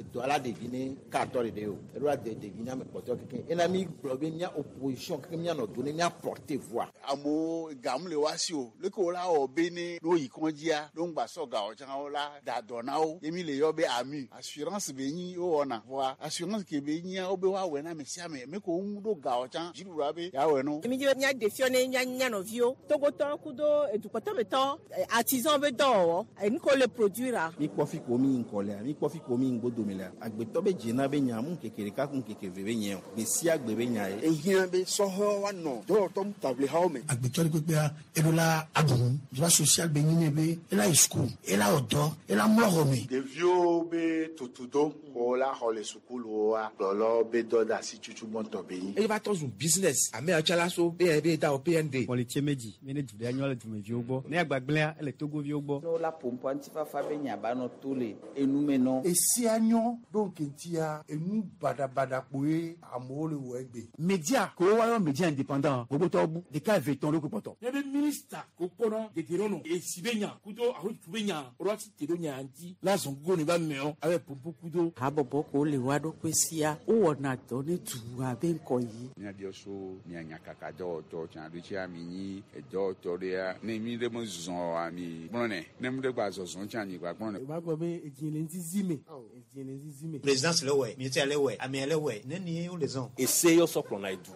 Edɔ la ɖevi ne katɔ ɖeɖe o. Eɖo la de ɖevi ne ame kpɔtɔewo kekeŋ. Ena mi gblɔ be mía opposition kekeŋ míanɔ do ne mía porter voix. Amewo ga mele woa si o. Leke wola wɔ be ne woyi kɔdzia, ne woŋgba sɔ ga o tsã wola da dɔ na wo. Ye mi le yɔ be AMU. Assurance be nyi wowɔna. Vɔa assurance ke be nyia wobe woawɔe na ame sia ame. Me ko woŋu ɖo ga o tsã dziɖuɖua be yeawɔe no. Mi dzi be míaɖe fiɔ ne mía mía nɔviwo Togotɔwo kudo edukɔtɔmetɔ artisan be dɔwɔwɔ enu ke wole produire. Mi kpɔ fi ko mi yi ŋkɔ lea, mi kpɔ fi ko mi yi ŋgodome lea. Agbetɔ be dzena be nya mu ŋkeke ɖeka ku ŋkeke eve be nye o. Gbe sia gbe be nya ye. Ehiã be sɔhɛwo woanɔ dɔwɔtɔ taʋlihawo me. Agbetɔ ɖe kpekpea, eɖo la aɖu nu. Droit social be nyi nɛ be ela yi suku, ela wɔ dɔ, ela mlɔ xɔ me. Ɖeviwo be tutudo ko la xɔ le sukuluwoa, kplɔlawo be dɔdeasi tutu gbɔntɔ be nyi. Eye va tɔ zu business. Ame yawo tsa la so be be da wɔ PND. Kpɔlitse medzi be ne du ɖe anyɔ le dumeviwo gbɔ. Ne agbagblẽa, ele Togoviwo gbɔ. Ne wola ƒoƒua ŋutifafa be nya ba nɔ to le enu me nɔ. Esia nyɔ ɖo ŋkeŋtia enu baɖabaɖa kpoe amewo le wɔ egbe. Media ko woayɔ media indépendant gbogbotɔwo bu ɖeka eve tɔn ɖo kpɔtɔ. Ne be minista ko kpɔnɔ dedienɔnɔ esi be nya kudo ahotutu be nya woɖo asi te ɖo nya ŋuti la zɔn gogo ne ba meɔ abe pompo kudo. Habɔbɔ ko le woa ɖokui sia wowɔna dɔ ne dua be ŋkɔyiyi. Míabiɔ so mia nyakaka dɔwɔtɔ tsã ɖo tsia mi nyi edɔwɔtɔ ɖea ne mi ɖe me zɔ oa mi gblɔnɛ ne mi ɖe gba zɔzɔ tsã mi gba gblɔnɛ. O b'a gbɔ be edzi le ŋzizi me edzi le ŋzizi me. Présidence le wɛ, ministère le wɛ, amea le wɛ, nenie wole zɔn. Ese yɔ sɔ kplɔna edu.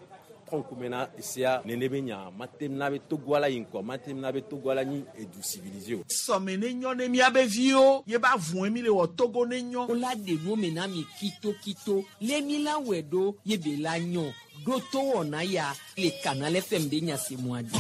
Trɔ ŋkume na esea nene be nya mate na be Togoa la yi ŋkɔ, mate na be Togoa la nyi edu civilisé o. Sɔme ne nyɔ ne míabe viwo ye ba vɔe mi le wɔ Togo ne nyɔ. Wola ɖe nu me na mi kitokito le mi la wɔe ɖo ye be la nyɔ ɖo to wɔna ya le Canal FM be nya se mua dzi.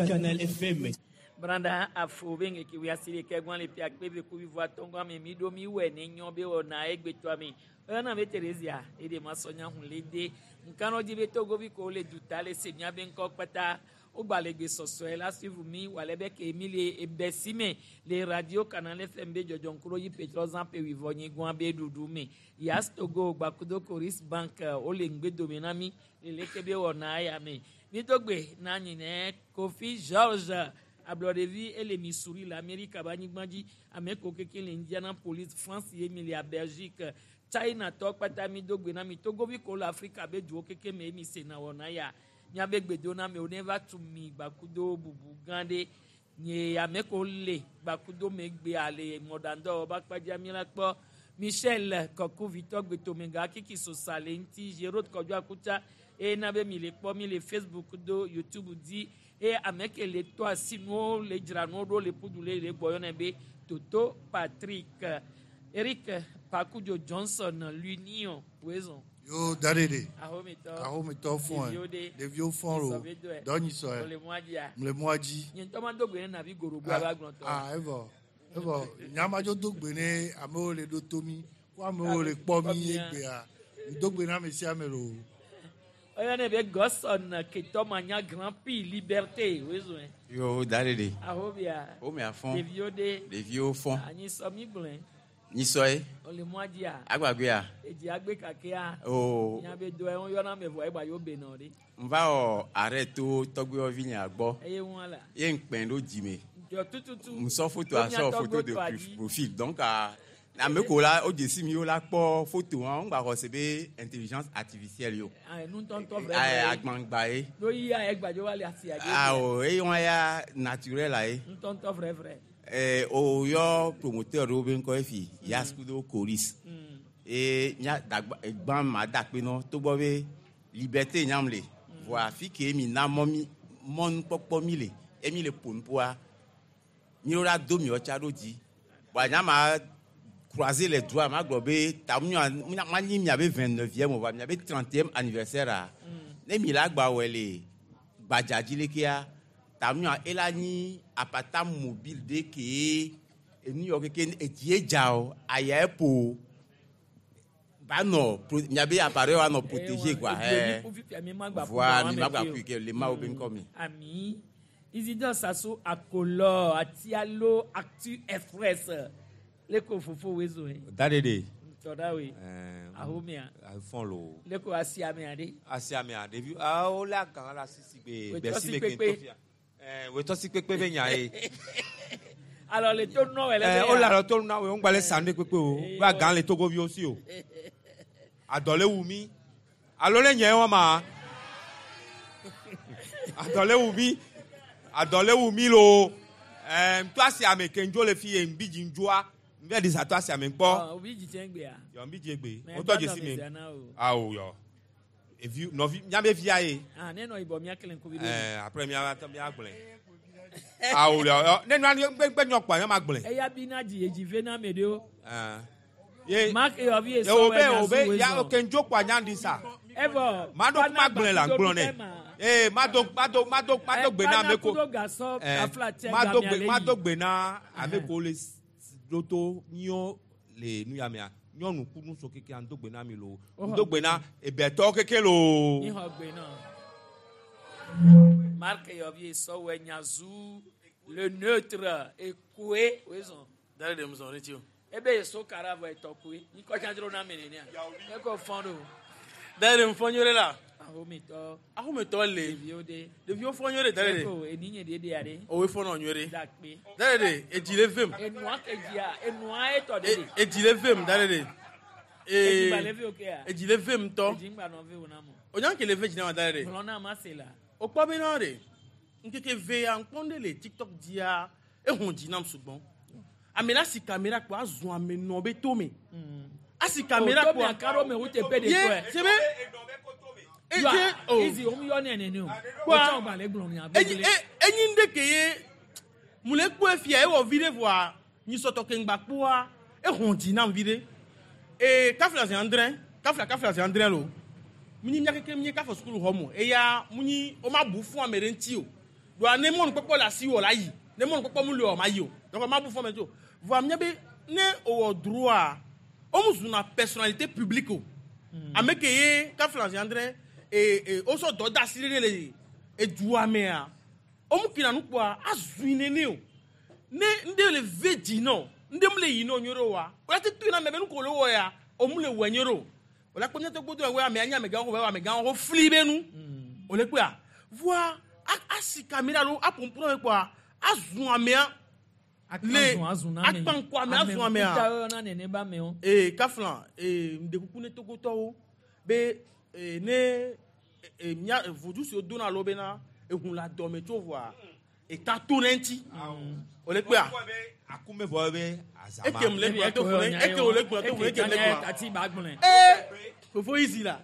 Canal FM. Branda afo be ŋgeke wi asi ɖeke gbɔn le pia kpe be kuvi vɔ atɔngɔ ame mi ɖo mi wɔ ne nyɔ be wɔna egbetɔ ame. Oyana be Theresia eɖe ma sɔ nya hun le de nkanɔ dzi be Togovi ko le duta le se mia be ŋkɔ kpata wogba le gbesɔsɔe la suivre mi wòale be ke mi le ebe si me le radio Canal FM be dzɔdzɔŋkuro yi petrol zã pe wivɔ nyigba be ɖuɖu me Yas Togo gbakudo Coris Bank wole ŋgbedome na mi le leke be wɔna eya me mi do gbe na nyi ne Kofi George ablɔɖevi ele Missouri le Amerika be anyigba dzi ame ko keke le Indianapolis France ye mi le Belgique China tɔ kpata mi do gbe na mi Togovi ko le Afrika be duwo keke me mi se na wɔna ya miabe gbedoname ne va tu mi gbakudo bubu gã ɖe nye ame ko le gbakudo megbea le mɔɖaŋdɔwɔ be akpadza mi la kpɔ Michel Kɔkuvitɔ gbetomega kiki sosa le ŋuti Gérard Kɔdzo Akutsa eye na be mi le kpɔ mi le Facebook do YouTube dzi eye ame ke le tɔ asi nuwo le dzra nuwo ɖo le ƒudu le le gbɔ yɔnɛ be Toto Patrick Eric Pakudzo Johnson l'Union wezɔn. Yo daɖeɖe. Ahometɔ. Ahometɔ fɔn. Ɖeviwo ɖe. Ɖeviwo fɔn o. Nyisɔ be dɔe. Dɔ nyisɔ. Wole mɔa dzia. Mle mɔa dzi. Nye ŋutɔ ma do gbe ne navi gorogbo ava gblɔtɔ. Ah evɔ evɔ nyamadzo do gbe ne amewo le ɖo to mi ko amewo le kpɔ mi egbea do gbe na ame sia ame lo. Oyɔnɛ be Gɔsɔn Ketɔ Manya Grand Prix Liberté wezɔn. Yo daɖeɖe. Ahobia. Wo mia fɔn. Ɖeviwo ɖe. Ɖeviwo fɔn. Anyisɔ mi gblɔe. Nyisɔ ye. Wole mɔa dzia. Agbagbea. Edzi agbe kakea. Oo. Miabe dɔe woyɔna ame vɔ egba yewo benɔ ɖe. Nva wɔ arrêt to tɔgbuiwɔvi nya gbɔ. Eye ŋua la. Ye ŋkpɛ ɖo dzime. Dzɔ tututu. Ŋsɔ foto To asɔ mia photo de tɔgbuiwo tɔa dzi. profil donc ame ko la wo dzesi mi wo la kpɔ photo hã ŋgba xɔ se be intelligence artificielle yo. Ah, nu ŋutɔŋutɔ Ayi vrɛ. agbangba ye. Ɖo yia egbadzo va le asia dzi. Awo eye wɔn ya naturel la ye. Ŋutɔŋutɔ vrɛvrɛ. O yɔ promoteur ɖewo be ŋkɔ efi Yas kudo Coris. Eye nya dagba egbã ma da akpe nɔ togbɔ be liberté nyam le. Vɔa afi ke mi na mɔ mi mɔnukpɔkpɔ mi le ye mi le ƒo nuƒoa mi ɖo la do miɔ tsa ɖo dzi. Vɔa nya ma croiser les doigts ma gblɔ be ta mia ma nyi miabe 29e o vɔa miabe 30e anniversaire a ne mi la gba wɔe le gbadza dzi lekea ta mia ela nyi apata mobile ɖe ke enu yɔ keke edzi dza o aya eƒo o ba nɔ miabe appareil wa nɔ protéger quoi. Ɛɛ. Voa mi ma gba ƒui ke le mawo be ŋkɔ mi. Ami Isidore Sassou Akolɔ Atialo Actu Express le ko fofo wezo ye. Daɖeɖe. Tɔɖa we. Ɛɛ. Ahomea. Fɔn lo. Le ko asiamea ɖe. Asiamea ɖevi awo le agã la sisi gbe Wetɔsi gbɛsi me kpekpe. ke ntɔfia. Ɛɛ wetɔsi kpekpe be nya ye. Alɔ le to nɔ wɛ lɛ. Ɛ, wole alɔ to na wo, ŋgba le sa nu ɖe kpekpe o. Ba gã le Togoviwo si o. Adɔ le wu mi. Alo le nye wa ma. Adɔ le wu mi. Adɔ le wu mi lo. Ɛ, ŋtɔ asi ame ke ŋdzo le fi ye ŋbi dzi ŋdzoa. Ŋbɛ ɖi sa tɔ asi ame kpɔ. Obi dzi tsɛ gbea. Yɔ ŋbi dzi egbe. Mɛ Wotɔ dɔ dzesi dɔmɛ me. zia na o. Awo yɔ. Evi nɔvi miabe via ye. Ah, ne nɔ yibɔ mía kele ŋkuvi ɖo. Ɛ, après mia mia gblɔe. Awo yɔ. Yɔ, Ne nua ŋgbe ŋgbe nyɔ kpɔa, mia ma gblɔe. Eya bi na dzi edzi ve na ame ɖewo. Ɛ. Ye Mark eyɔvi ye esɔ wo wɛ be nya wo zu be we ya zɔn. ke ŋdzo kpɔa nya ɖi sa. Evɔ. Mado kuma gblɔe la gblɔ nɛ. Ee mado mado mado mado gbe na ame ko. Kudo gasɔ Ɛ, afla tsɛ mado gamia gbe le mado yi. gbe na ame ko le ɖo to nyɔ le nu ya mea. Nyɔnu ku nuso keke ŋdo gbe na mi lo. Woxɔ Ŋdo gbe na ebɛtɔwo keke lo. Mixɔ gbe nɔ. Mark eyɔvi esɔ wɛ nya zu le neutre ekoe we zɔn. Dale de muzɔn ne ti o. Ebe eso kara vɔ etɔ koe. Nyikɔ tsa dzro na ame nenea. Eko fɔn ɖo. Dale de mufɔ nyore la. Ahometɔ. Ahometɔ le. Ɖeviwo de. Ɖeviwo fɔ nyore dale de. Eko eninye de de ya de. Owe fɔ nɔ nyore. Dakpe. Dale de edzi le vem. Enua ke dzia enua etɔ de de. Edzi le vem dale de. Edzi gba le ve o ke ya. Edzi le vem ŋutɔ. Edzi ŋgba nɔ ve o na mo. O nya ke le ve dzi na ma dale de. Gblɔ na ma se la. O kpɔ be na de. Ŋkeke ve ya ŋkpɔ ɖe le TikTok dzia ehun dzi nam sugbɔn. Ame la si caméra kpɔ azɔ ame nɔ be tome. Asi caméra O, tome kpɔ. aka ɖo me wu teƒe ɖe Ye tɔe. sebe. Yɔ, Edze o. Izi wo mu yɔ nɛ nene o. Kpɔa- O tsã gba le gblɔ nya Enyi gbegblẽ. e enyi ŋɖe ke ye mu le kpɔe fia ewɔ vi ɖe voa nyisɔtɔ ke ŋgba kpɔa ehɔn dzi nam vi ɖe. Ee kafla zi andre kafla kafla zi andre lo. Munyi mía keke míe kafɔ sukulu xɔ mo eya munyi wo ma bu fún ame ɖe ŋuti o. Doa ne mɔnukpɔkpɔ le asi wò la yi ne mɔnukpɔkpɔ mu li o ma yi o. Donc ma bu fún ame ŋuti o. Voa mía be ne wòwɔ droit wo mu zuna personnalité publique o. Ame ke ye kafla zi andre ee ee wosɔ dɔ da asi ɖe le edua mea womu kina nu kpɔa azui nene o ne ŋɖe le ve dzi nɔ ŋɖe mu le yi nɔ nyuie ɖe oa wòle te tu na ame be nu ko le wɔ ya o mu le wɔ nyuie ɖe o wòle kpɔ míatɔ gbɔdɔ wɔ ame anyi amegãwo wɔ amegãwo wo fli be nu wòle kpɔa voa a- asi kamera lo apompro me kpɔa azu amea le Azun azun na ame. akpankɔ ame azu amea Ame ŋkuta yɔna nene ba amewo. ee kafla ee ŋdekuku ne togotɔwo be ee ne ee mía vodu siwo dona alo bena ehun le adɔme tso voa eta to ne ŋuti wòle kpea Akume vɔ be azama. ekem le gblɔ to fo ne eke wòle gblɔ to fo ne ekem le gblɔ Tati ba gblɔe. ee fofo izi la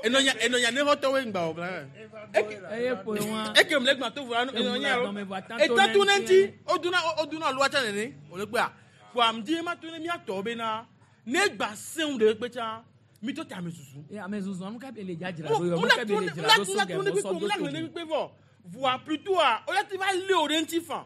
enɔnya enɔnya ne xɔtɔwoe ŋgba wò bla Eye kpoe wa. ekem le gblɔ to fo enɔnya Ehun le adɔme voa eta to eta to ne ne ŋuti wodona wodona aloa tsa nene wòle kpea kpoa ŋdi ma to ne míatɔ bena ne gba sẽŋu ɖe kpe tsa mi tɔ te ame susu. Ee ame zuzua nu ka be le dzadzra ɖo yɔ nu ka be le dzra ɖo so gɛ mɔ sɔ do to me. kpe vɔ voa plutôt a o ti va lé o ɖe ŋuti fan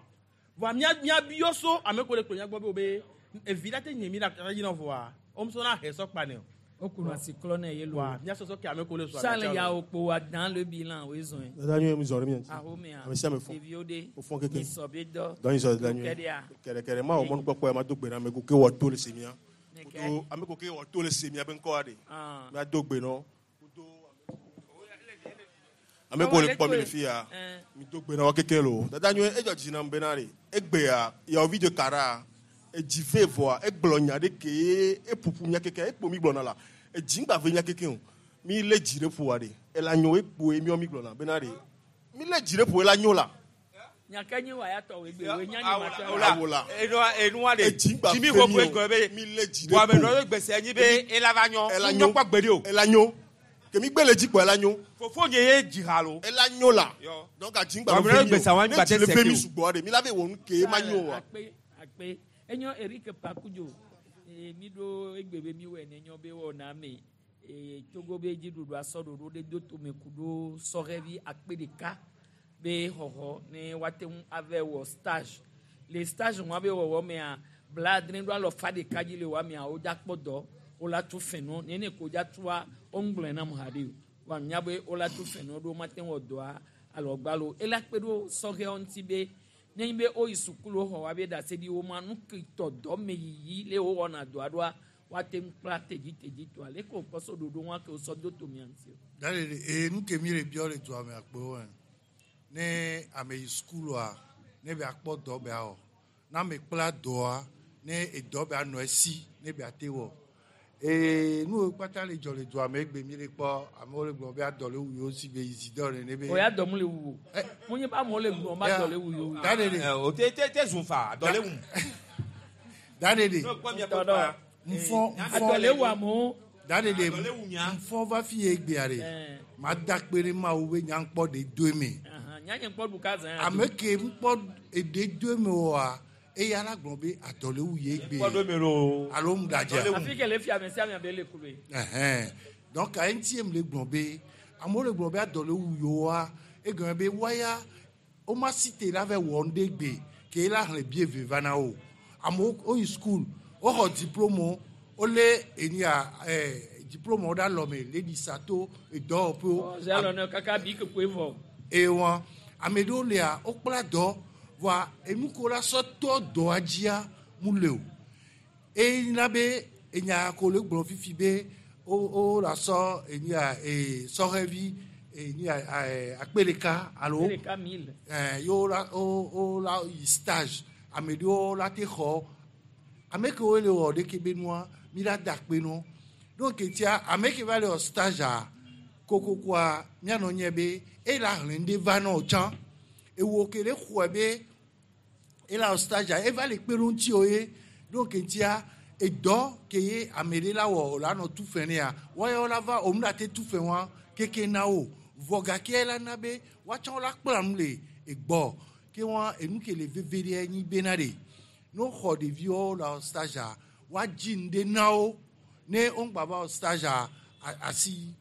voa mía mía biɔ so ame ko le kplɔ mía gbɔ be o be evi la te nye mi la la yina voa o musɔ na hɛ sɔ kpa nɛ o. O kunu asi klɔ nɛ ye lo. Voa mía sɔsɔ ke ame ko le sɔ Charles ya o kpo wa dan le bilan o ezɔn. Dada nyuie mi zɔ ɖe mía ŋuti. Ahomea. Ame sia ame fɔ. Ɖeviwo ɖe. Wo fɔ keke. Nyisɔ be dɔ. Dɔ nyisɔ dada nyuie. Kɛɖea. Kɛɖɛkɛɖɛ ma wɔ mɔnukpɔkpɔ ya ma do gbe na ame ko ke wɔ to le se mía. Kudo ame ko ke wɔ to le se mía be ŋkɔa ɖe. Ah. Mía do gbe nɔ. Kudo ame ko le kpɔ mi le fi ya. Mi do gbe na wo keke lo. Dada nyuie edzɔ dzi nam bena ɖe. Egbea yawovi de kara. Edzi ve vɔa egblɔ nya ɖe ke ye eƒoƒu mía keke ekpo mi gblɔna la. Edzi ŋgba ve mía keke o. Mi lé dzi ɖe ƒoa ɖe. Ela nyo ekpoe míawo mi gblɔna bena ɖe. Mi lé dzi ɖe ƒo ela nyo la. Nyake nyi wa ya tɔ wo egbe wo nya nyi ma tɔ. Awola. Enua enua de. Edzi ŋgba Jimmy ve ko mi ko o. egblɔ be. Mi lé dzi ɖe Bɔn ame ƒo. nɔ ye gbèsè nyi be ela va nyɔ. Ela Nyɔ nyo. kpɔ gbe ɖe o. Ela nyo. Kemi gbe le dzi kpɔ ela nyo. Fofo nye ye dzi ha lo. Ela nyo la. Donc adzi ŋgba Wàmí ve mi gbèsè o. àwọn Ne àgbà dzi le tẹsẹ̀ ve kí mi o. sugbɔ ɖe mi la ve wɔ nu ke ma nyo oa. Akpe akpe enyo Eric Pakudzo ee mi ɖo egbe be mi wɔ ene nyɔ be wɔ na me ee Togo be dziɖuɖu asɔ ɖoɖo ɖe do tome ku ɖo sɔhɛvi akpe ɖeka be xɔxɔ ne woate ŋu ava wɔ stage le stage ŋua be wɔwɔ mea bladre ɖo alɔfa ɖeka dzi le woa mea wodza kpɔ dɔ wola tu fɛnɔ nene ko wodza tua woŋgblɔe nam haɖe o wa nya be wola tu fɛnɔ ɖo mate ŋu wɔ dɔa alɔgbalo ela kpe ɖo sɔhɛwo ŋuti be nenye be woyi sukulu xɔ wa be ɖaseɖi wo ma nu ke tɔ dɔ me yiyi le wowɔna dɔa ɖoa woate ŋu kpla tedzitedzi tɔa leke wòkpɔ so ɖoɖo ŋua ke wosɔ do tomea ŋuti o. Dale de ee nu ke mi le biɔ le dua me akpewo ɛ. Ne ame yi sukulua ne be akpɔ dɔ be awɔ. Na ame kpla dɔa ne edɔ be anɔ esi ne be ate wɔ. Ee nu kpata le dzɔ le dua me egbe mi le kpɔ amewo le gblɔ be adɔ le wu yewo si be Isidore nene be. O ya dɔ mu le wu o. Mo nye ba amewo le gblɔ ba dɔ le wu yewo. Da ɖe ɖe. O te te te zun fa dɔ le wu. Da ɖe ɖe. Tɔdɔ. Nfɔ nfɔ. Adɔ le wu amewo. Da ɖe ɖe nfɔ va fi ye egbea ɖe. Ma da kpe ɖe Mawu be nyankpɔ ɖe do eme. Nyanye kpɔ ɖu ka zã. Ame ke ŋkpɔ eɖe do eme oa eya la gblɔ be adɔ le wu ye egbe. Kpɔ do eme lo. Alo mu ɖadze. Afi ke le fi ame sia ame be le ku be. Ɛhɛn. Donc eŋuti ye le gblɔ be amewo le gblɔ be adɔ le wu yewoa egɔme be woaya woma si te la vɛ wɔ nu ɖe gbe ke la xlẽ bie ve va na wo. Amewo woyi school woxɔ diplôme wolé enia diplôme wo ɖe alɔme le ɖi sa to edɔwɔƒewo. Ɔzɛ alɔ ne kaka bi kekue vɔ. Eye wɔn ame ɖewo lia wokpla dɔ voa enu ko la sɔ tɔ dɔa dzia mu le o. Eye na be enya ko le gblɔ fifi be wo wo la sɔ enia ee sɔhɛvi enia akpe ɖeka alo Akpe ɖeka mille. Ɛɛ yewo la wo wo la yi stage ame ɖewo la te xɔ ame kewo le wɔ ɖeke be nua mi la da akpe nɔ donc tia ame ke va le wɔ stage a kokokoa mianɔ nye be eye la hlẽ ɖe va nɔ tsã ewo ke le xɔe be ela wɔ stage a eva le kpe ɖo ŋuti o ye donc tia edɔ ke ye ame ɖe la wɔ o la nɔ tu fɛ nea wɔyɔ la va o mu la te tu fɛ wa keke na o vɔ gake la na be woatsã wo la kpla nu le egbɔ ke wa enu ke le veve ɖe nyi bena ɖe ne woxɔ ɖeviwo le wɔ stage a woadzi nu ɖe na wo ne wogba va wɔ stage a asi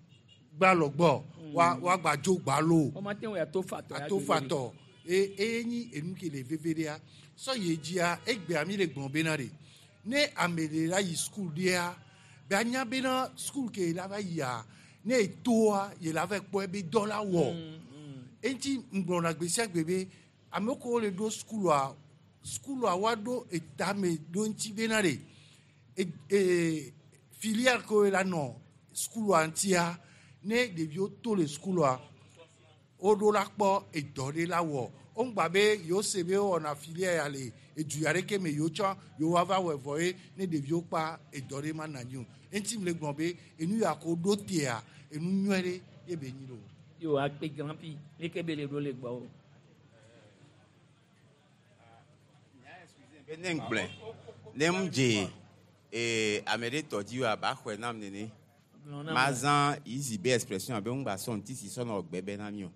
gbalɔ gbɔ wa woagba dzo gbalo Wọ́n máa tẹ̀wé àtó fatɔ. ato fatɔ eye eye nyi enu ke le veve ɖea sɔ yi dzia egbea mi le gblɔ bena ɖe ne ame ɖe la yi skul ɖea be anya bena skul ke la va yia ne etoa ye la va kpɔ ebe dɔ la wɔ eŋuti ŋgblɔna gbe sia gbe be ame kewo le ɖo skulua skulua woaɖo etame ɖo ŋuti bena ɖe e e filière kewo la nɔ skulua ŋutia ne ɖeviwo to le skulua woɖo la kpɔ edɔ ɖe la wɔ woŋgba be yewo se be wowɔna filière ya le edu ya ɖeke me yewo tsɔ yewo ava wɔe vɔ ye ne ɖeviwo kpa edɔ ɖe ma na anyi o eŋuti mi le gblɔ be enu ya ko ɖo tea enu nyuie ɖe ye be nyi lo. Yo akpe grand pi leke be le ɖo le gbɔ o. Be ne ŋgblɔe ne ŋu dze ee ame ɖe tɔ dzi wa ba xɔe nam nene Gblɔ nam. mazã yizi be expression abe ŋgba sɔ ŋuti si sɔnɔ gbe be na mi o.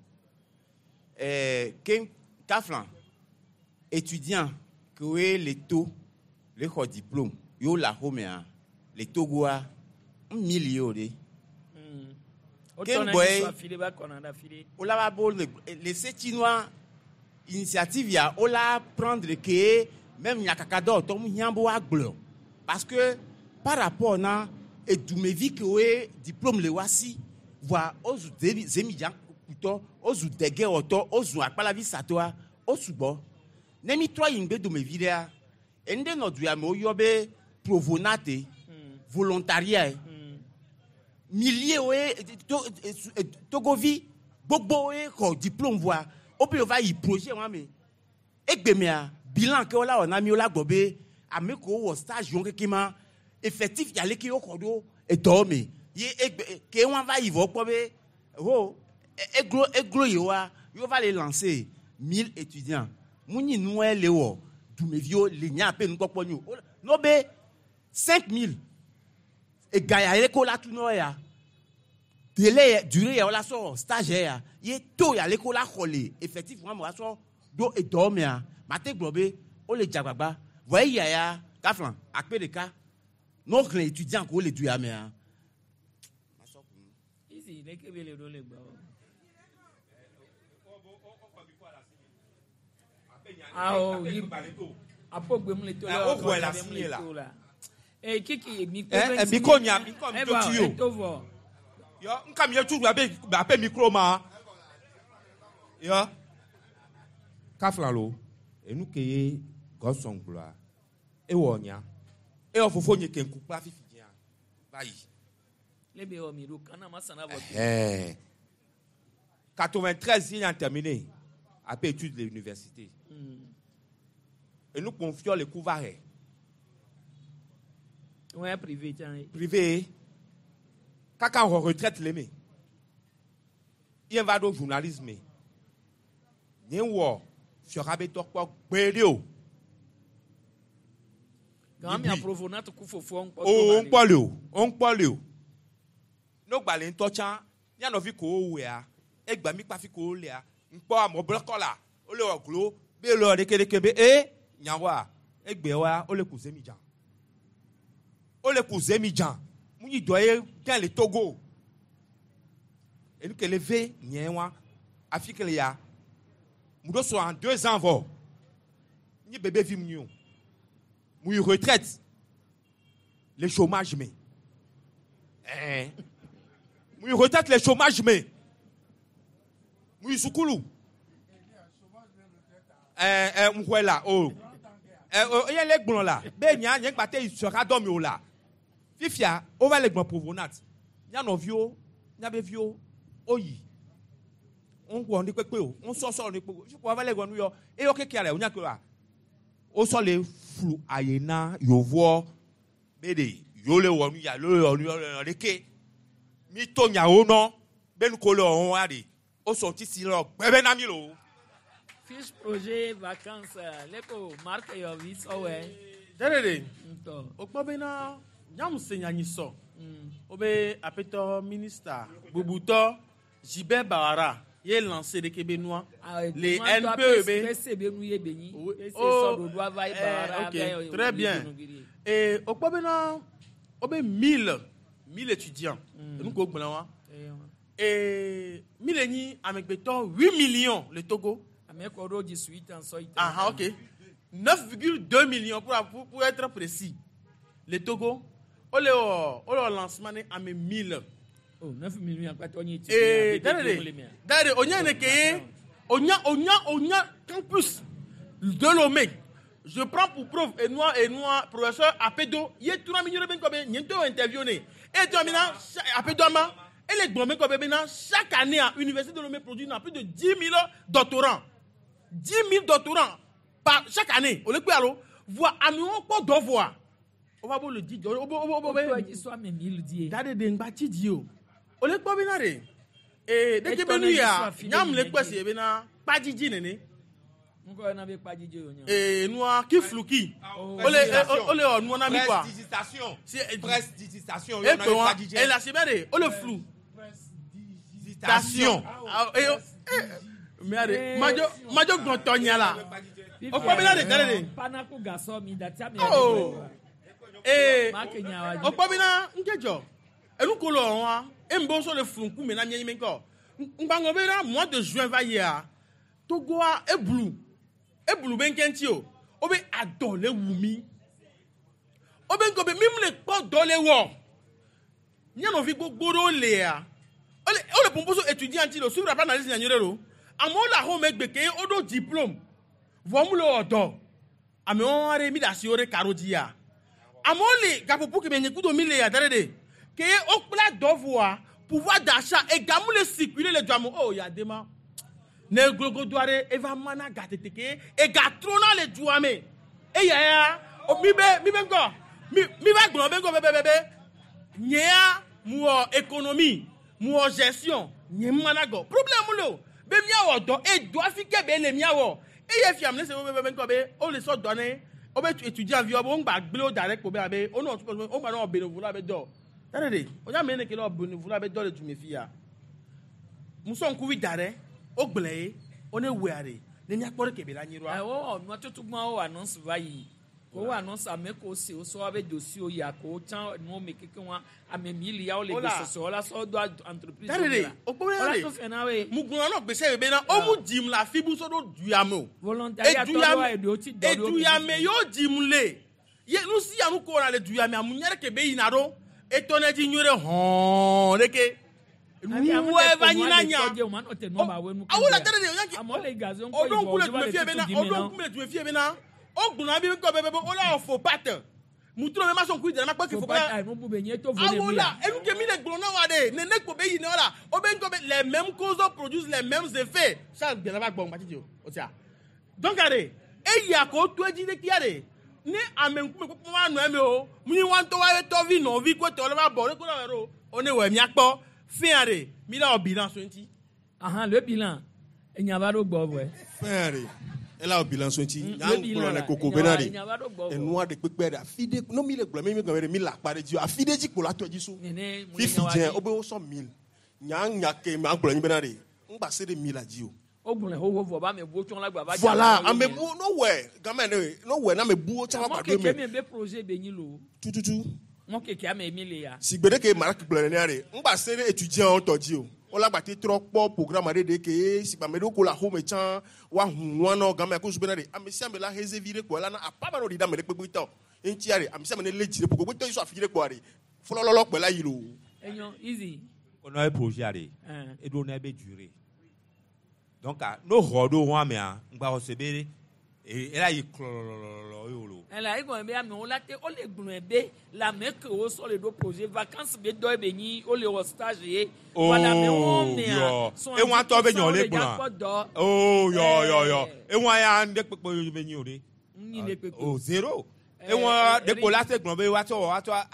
Ke kafla étudiant ke woe le to le xɔ diplôme yewo le axomea le Togoa mili yewo ɖe. O Ke tɔ na ŋgbɔe- yi sɔ afi ɖe ba kɔna ɖe afi ɖe. wola va bo le le setinoa initiative ya wola prendre ke même nyakakadɔ tɔ mu hiã be woagblɔ parce que par rapport na edumevi ke woe diplôme le wa si voa wozu zebi zemidza kutɔ wozu degewɔtɔ wozu akpalavi satɔa wo sugbɔ ne mi trɔ yi ŋgbe domevi ɖea enu ɖe nɔ du ya me woyɔ be provonate volontariat milliers woe to togovi gbogbo woe xɔ diplôme voa wobe yewo va yi projet wa me egbemea bilan ke wola wɔ na mi wola gbɔ be ame kewo wɔ stage wɔn keke ma effectif ya leke woxɔ ɖo edɔwo me ye egbe ke wɔn va yi vɔ kpɔ be ho eglo eglo yewoa yewo va le lancer 1000 étudiants mu nyi nua le wɔ dumeviwo le nya pe nukpɔkpɔ nyi o n'o be 5000 ega ya leke wola tu nɔ ya délai yɛ durée yɛ wola sɔ stage ya ye to ya leke wola xɔ le effectif wa me wa sɔ ɖo edɔwo mea mate gblɔ be wole dzagbagba vɔ eya ya kafla akpe ɖeka ne woxlẽ étudiant ko wole du ya mea. Izi leke be le ɖo le gbɔ o. Awo yi apo gbe mu le to Eh, la o xɔe le gbe mu asi ye le la. to la. Ee kiki mi ko Eh, be eh, ŋuti mi ko nya, mi ko mi Eh, to ba, tu yo. eto vɔ. Yɔ, nka mi ye tu abe abe micro ma. Yɔ. Kafla lo, enu ke ye gɔsɔn gblɔa, ewɔ nya. Ewɔ fofo nye ke ŋku kpla fifi dzia. Va yi. Le be wɔ mi ɖo kana ma sana vɔ. Ɛhɛn. 93 il a terminé après études de l'université. Enu kpɔn fiɔ le ku va hɛ. Ouais, privé tiens. Privé. Kaka wɔ retraite le me. Yen va ɖo journalisme. Nye wɔ fiɔha be dɔ kpɔ gbeɖe o. Quand mi aprovo na to ku fofo on O o ŋkpɔ le o, o ŋkpɔ le o. No gbalẽ ŋutɔ tsã, mía nɔvi ko wowɔea, egba mi kpafi ko wolea, ŋkpɔ amewo blɔkɔ la, wole wɔ glo, be le wɔ ɖekeɖeke be e nyawoa, egbewoa, wole ku zemidza. Wole ku zemidza. Mu nyi dɔ ye gã le Togo. Enu ke le ve nye wa, afi ke le ya. Mu ɖo so en 2 ans vɔ. Nyi bébé vi mu nyi o. Mu yi retraite. Le chômage me. Eh. Mu yi retraite le chômage me. Mu yi sukulu. Eh, eh, mu xɔe la, o. Eh, o, eye le gblɔ la, be nya nye gba te yi sɔha dɔ mi o la. Fifia, wova le gblɔ provenat. Mía nɔviwo, míabe viwo, woyi. Wowɔ nu kpekpe o, wosɔsɔ nu kpekpe o. Fifia wova le gblɔ nu yɔ, eye wo keke le wonya ke wa. Wosɔ le flu aye na yevoa be de yewo le wɔ nu ya, yewo le wɔ nu ya, le wɔ ɖeke. Mi to nyawo nɔ, be nu ko le wɔm wa de, wosɔ tisi le gbɛ be na mi lo. Fiche projet vacances leko Marc Yovi sɔwɛ. Dɛrɛdɛ. Ntɔ. O kpɔ bena nyamu se nyanyi sɔ. O be apetɔ ministre bubutɔ Gilbert Bawara ye lancé ɖeke be nua. Le NPE be. PC be nu ye be nyi. PC Oh, sɔ ɖoɖo ava ye eh, Bawara ok, ava ye très bien. Et o kpɔ bena o be 1000 étudiants. Enu ko gblẽ wa. Et mille nyi amegbetɔ 8 millions le Togo. Ame kɔ ɖo 18 ans sɔ yi. Ah, ok. 9,2 millions pour être précis. Le Togo, on le au lancement né à 1000. Oh, 9 millions akpatɔ nyi Et d'ailleurs, on y a on y a campus de Lomé. Je prends pour preuve et moi professeur Apedo, il est tout le monde comme il y a interview né. Et toi maintenant Apedo ma et les grands comme maintenant chaque année à l'université de Lomé produit plus de 10 000 doctorants. 10 000 doctorants par chaque année. On le peut alors voit amewo kpɔ dɔ voa. O va bo le di o bo o bo O tɔ dzi sɔ ame mille die. Dade de ŋgba tsi di o. O le kpɔ bena de. Ee deke be nu ya nyamu le kpɛ si bena kpadzidzi nene. Ŋkɔ yɛna be kpadzidzi o nya. Ee nua ki fluki. O le o le wɔ nua na mi quoi. Prestidigitation. Prestidigitation. E kpe wa e la si bɛ de o le flu. Station. Ah, e mɛ de madzo madzo gbɔntɔ nya la. O kpɔ bena de dade de. Panaku gasɔ mi dati ame. Oh. Ee Marc Nyawa o kpɔ bena ŋkedzɔ enu ko le wa e ŋbɔ so le flu ŋkume na mienyi ŋkɔ ŋgbaŋɔ bena mois de juin va yia Togoa eblu eblu be ŋkɛ ŋuti o o be adɔ le wu mi o be ŋkɔ be mi mu le kpɔ dɔ le wɔ mía nɔvi gbogbo ɖewo lea o le o le pɔnpɔ so étudiant ŋuti lo suivre la analyse nyanyui ɖe lo amewo le axɔme gbe ke wo ɖo diplôme vɔ mu le wɔ dɔ amewo aɖe mi ɖe asi wo ɖe karo dzia amewo le gaƒoƒo keme nye kudo mi le ya da ɖe de ke wokpla dɔ voa pouvoir d'achat egamu le circuler le dua me o ya de ma ne glogodo aɖe eva mana ga tete ke ega trona le dua me eya ya o mi be mi be ŋgɔ mi mi va gblɔ be ŋgɔ be be be be nyea mu wɔ économie mu wɔ gestion nye mana gɔ problème le o be miawɔ dɔ edɔ afi ke be le miawɔ eye fiam ne se be be be ŋgɔ be o le sɔ dɔ ne wo be étudiant viwo be wo ŋgba gblẽ wo da ɖe kpo be abe wo nɔ wo ŋgba nɔ bénévolat be dɔ tare de o nya me ne ke le wɔ bénévolat be dɔ le dume fia musɔ ŋkuvi da ɖe wo gblẽ ye wo ne wɔa ɖe ne miakpɔ ɖe kebe la nyi ɖoa. Wowɔ nua tutu gbɔn wowɔ annonce va yi ko wowɔ annonce ame ko se wo sɔ abe dossier ya ko tsã nuwo me keke wa ame mille ya wo le Hola. gbesɔsɔ la sɔ do entreprise. Tare de o kpɔ be Wala de to fɛn na we. mu gblɔ nɔ gbèsè be na wo mu dzim le afi bu sɔ ɖo duya me o. Volontariat tɔ ɖo wa eɖewo tsi dɔ ɖo. Eduyame yewo dzim le ye nu sia nu ko wɔna le duyame amu nya ɖe ke be yina ɖo etɔ ne dzi nyuie ɖe hɔn ɖeke nuwɔe va nyina nya. Awo la tare de o nya ke o ɖo ŋku le dume fie bena o ɖo ŋku le dume fie bena o gblɔna bi ŋkɔ be be be o la wɔ faux pate mutro be ma sɔn kui dara ma kpɔ ke faux pate awo la enu ke mi le gblɔ na wa de nene ko be yina la o be ŋkɔ be les mêmes causes produisent les mêmes effets ça gbɛlɛ va gbɔ ŋgba titi o o tia donc are Eya ko to edzi ɖe kia ɖe. Ne ame ŋkume kpɔkpɔ ma nɔ eme o. Mi wa ŋutɔ wa ye tɔvi nɔvi ko tɔ le va bɔ ɖe ko la wɔ ɖo. O ne wɔ miakpɔ fɛn ɖe mi la wɔ bilan so ŋuti. Ahan le bilan enya va ɖo gbɔ vɔe. Fɛn ɖe ela wɔ bilan so ŋuti. Le Nya bilan gblɔ la, ne koko enya bena va- ɖe. enya va ɖo gbɔ vɔ. Enua ɖe kpekpe ɖe afi ɖe no mi le gblɔ mi mi gblɔ be ɖe mi le akpa ɖe dzi o afi ɖe dzi kpo la tɔ dzi so. Nene mu le Fifi nya wa dze dzi. wobe wosɔ mil. Nya nya ke ma gblɔ nyi bena ɖe ŋgba se ɖe mil la dzi o. O gblɔe xoxo vɔ ba ame buwo tsɔn la gba va. Voilà, ame buwo no wɛ game ne no wɛ na ame buwo tsã wa Mɔ gba ɖo keke eme. mi be projet be nyi lo. Tututu. Mɔ keke ame mi le ya. Si gbe ɖe ke Marak gblɔ nenea ɖe ŋgba se ɖe étudiant tɔ dzi o. Wola gba te trɔ kpɔ programme aɖe ɖe ke si gba ame ɖewo ko le axome tsã woahu nua nɔ game ko zu bena ɖe ame sia ame la heze vi ɖe kpoa la na apa ma nɔ ɖi ɖe ame ɖe kpekpe tɔ. Eŋutia ɖe ame sia ame ne lé dzi ɖe ƒo gbogbo yi sɔ afi ɖe kpoa ɖe fɔlɔlɔlɔ kpe la yi loo. Enyo easy. On a un projet à aller. Hein. Et on a une durée. Donc, nos rodos, on a mis un on va recevoir. Et là, il clololololo. Ɛla egɔme be amewo la te wole gblɔe be le ame kewo sɔ le ɖo projet vacance be dɔ be nyi wole wɔ stage ye. Oh, Vɔ le amewo mea, yɔ. sɔn Et on tɔ be nyɔ le dza gblɔ. kpɔ dɔ. Oh, yɔ, yɔ, yɔ. Et on ya ndé kpekpe be nyi o de. Nyi ɖe kpekpe. Oh, zéro. Eh, Et on eh, de ko la se gblɔ be wa sɔ wa sɔ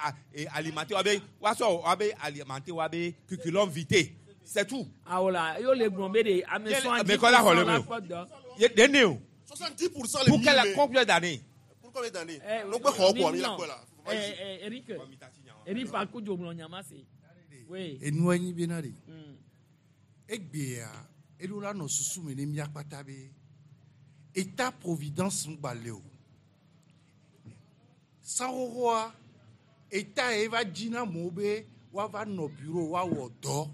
alimenter wa be wa sɔ wa be alimenter wa be curriculum vitae. C'est tout. Awo la ye wole gblɔ be de ame sɔn Mais kɔ la xɔ le me o. kpɔ dɔ. Ye de ne o. 70% le Pour quelle mille. combien d'années? Pour combien d'années? Eh, No gbe xɔ kpoa mi la non. kpɔe la. Eh, eh, Eric, Eric Fakudzo gblɔ nya ma se. Oui. Enua nyi bena ɖe. Egbea eɖo la nɔ susu me ne mía kpata be état providence ŋgba le o. Sanxoxoa état ye va dzi na amewo be woava nɔ bureau woawɔ dɔ.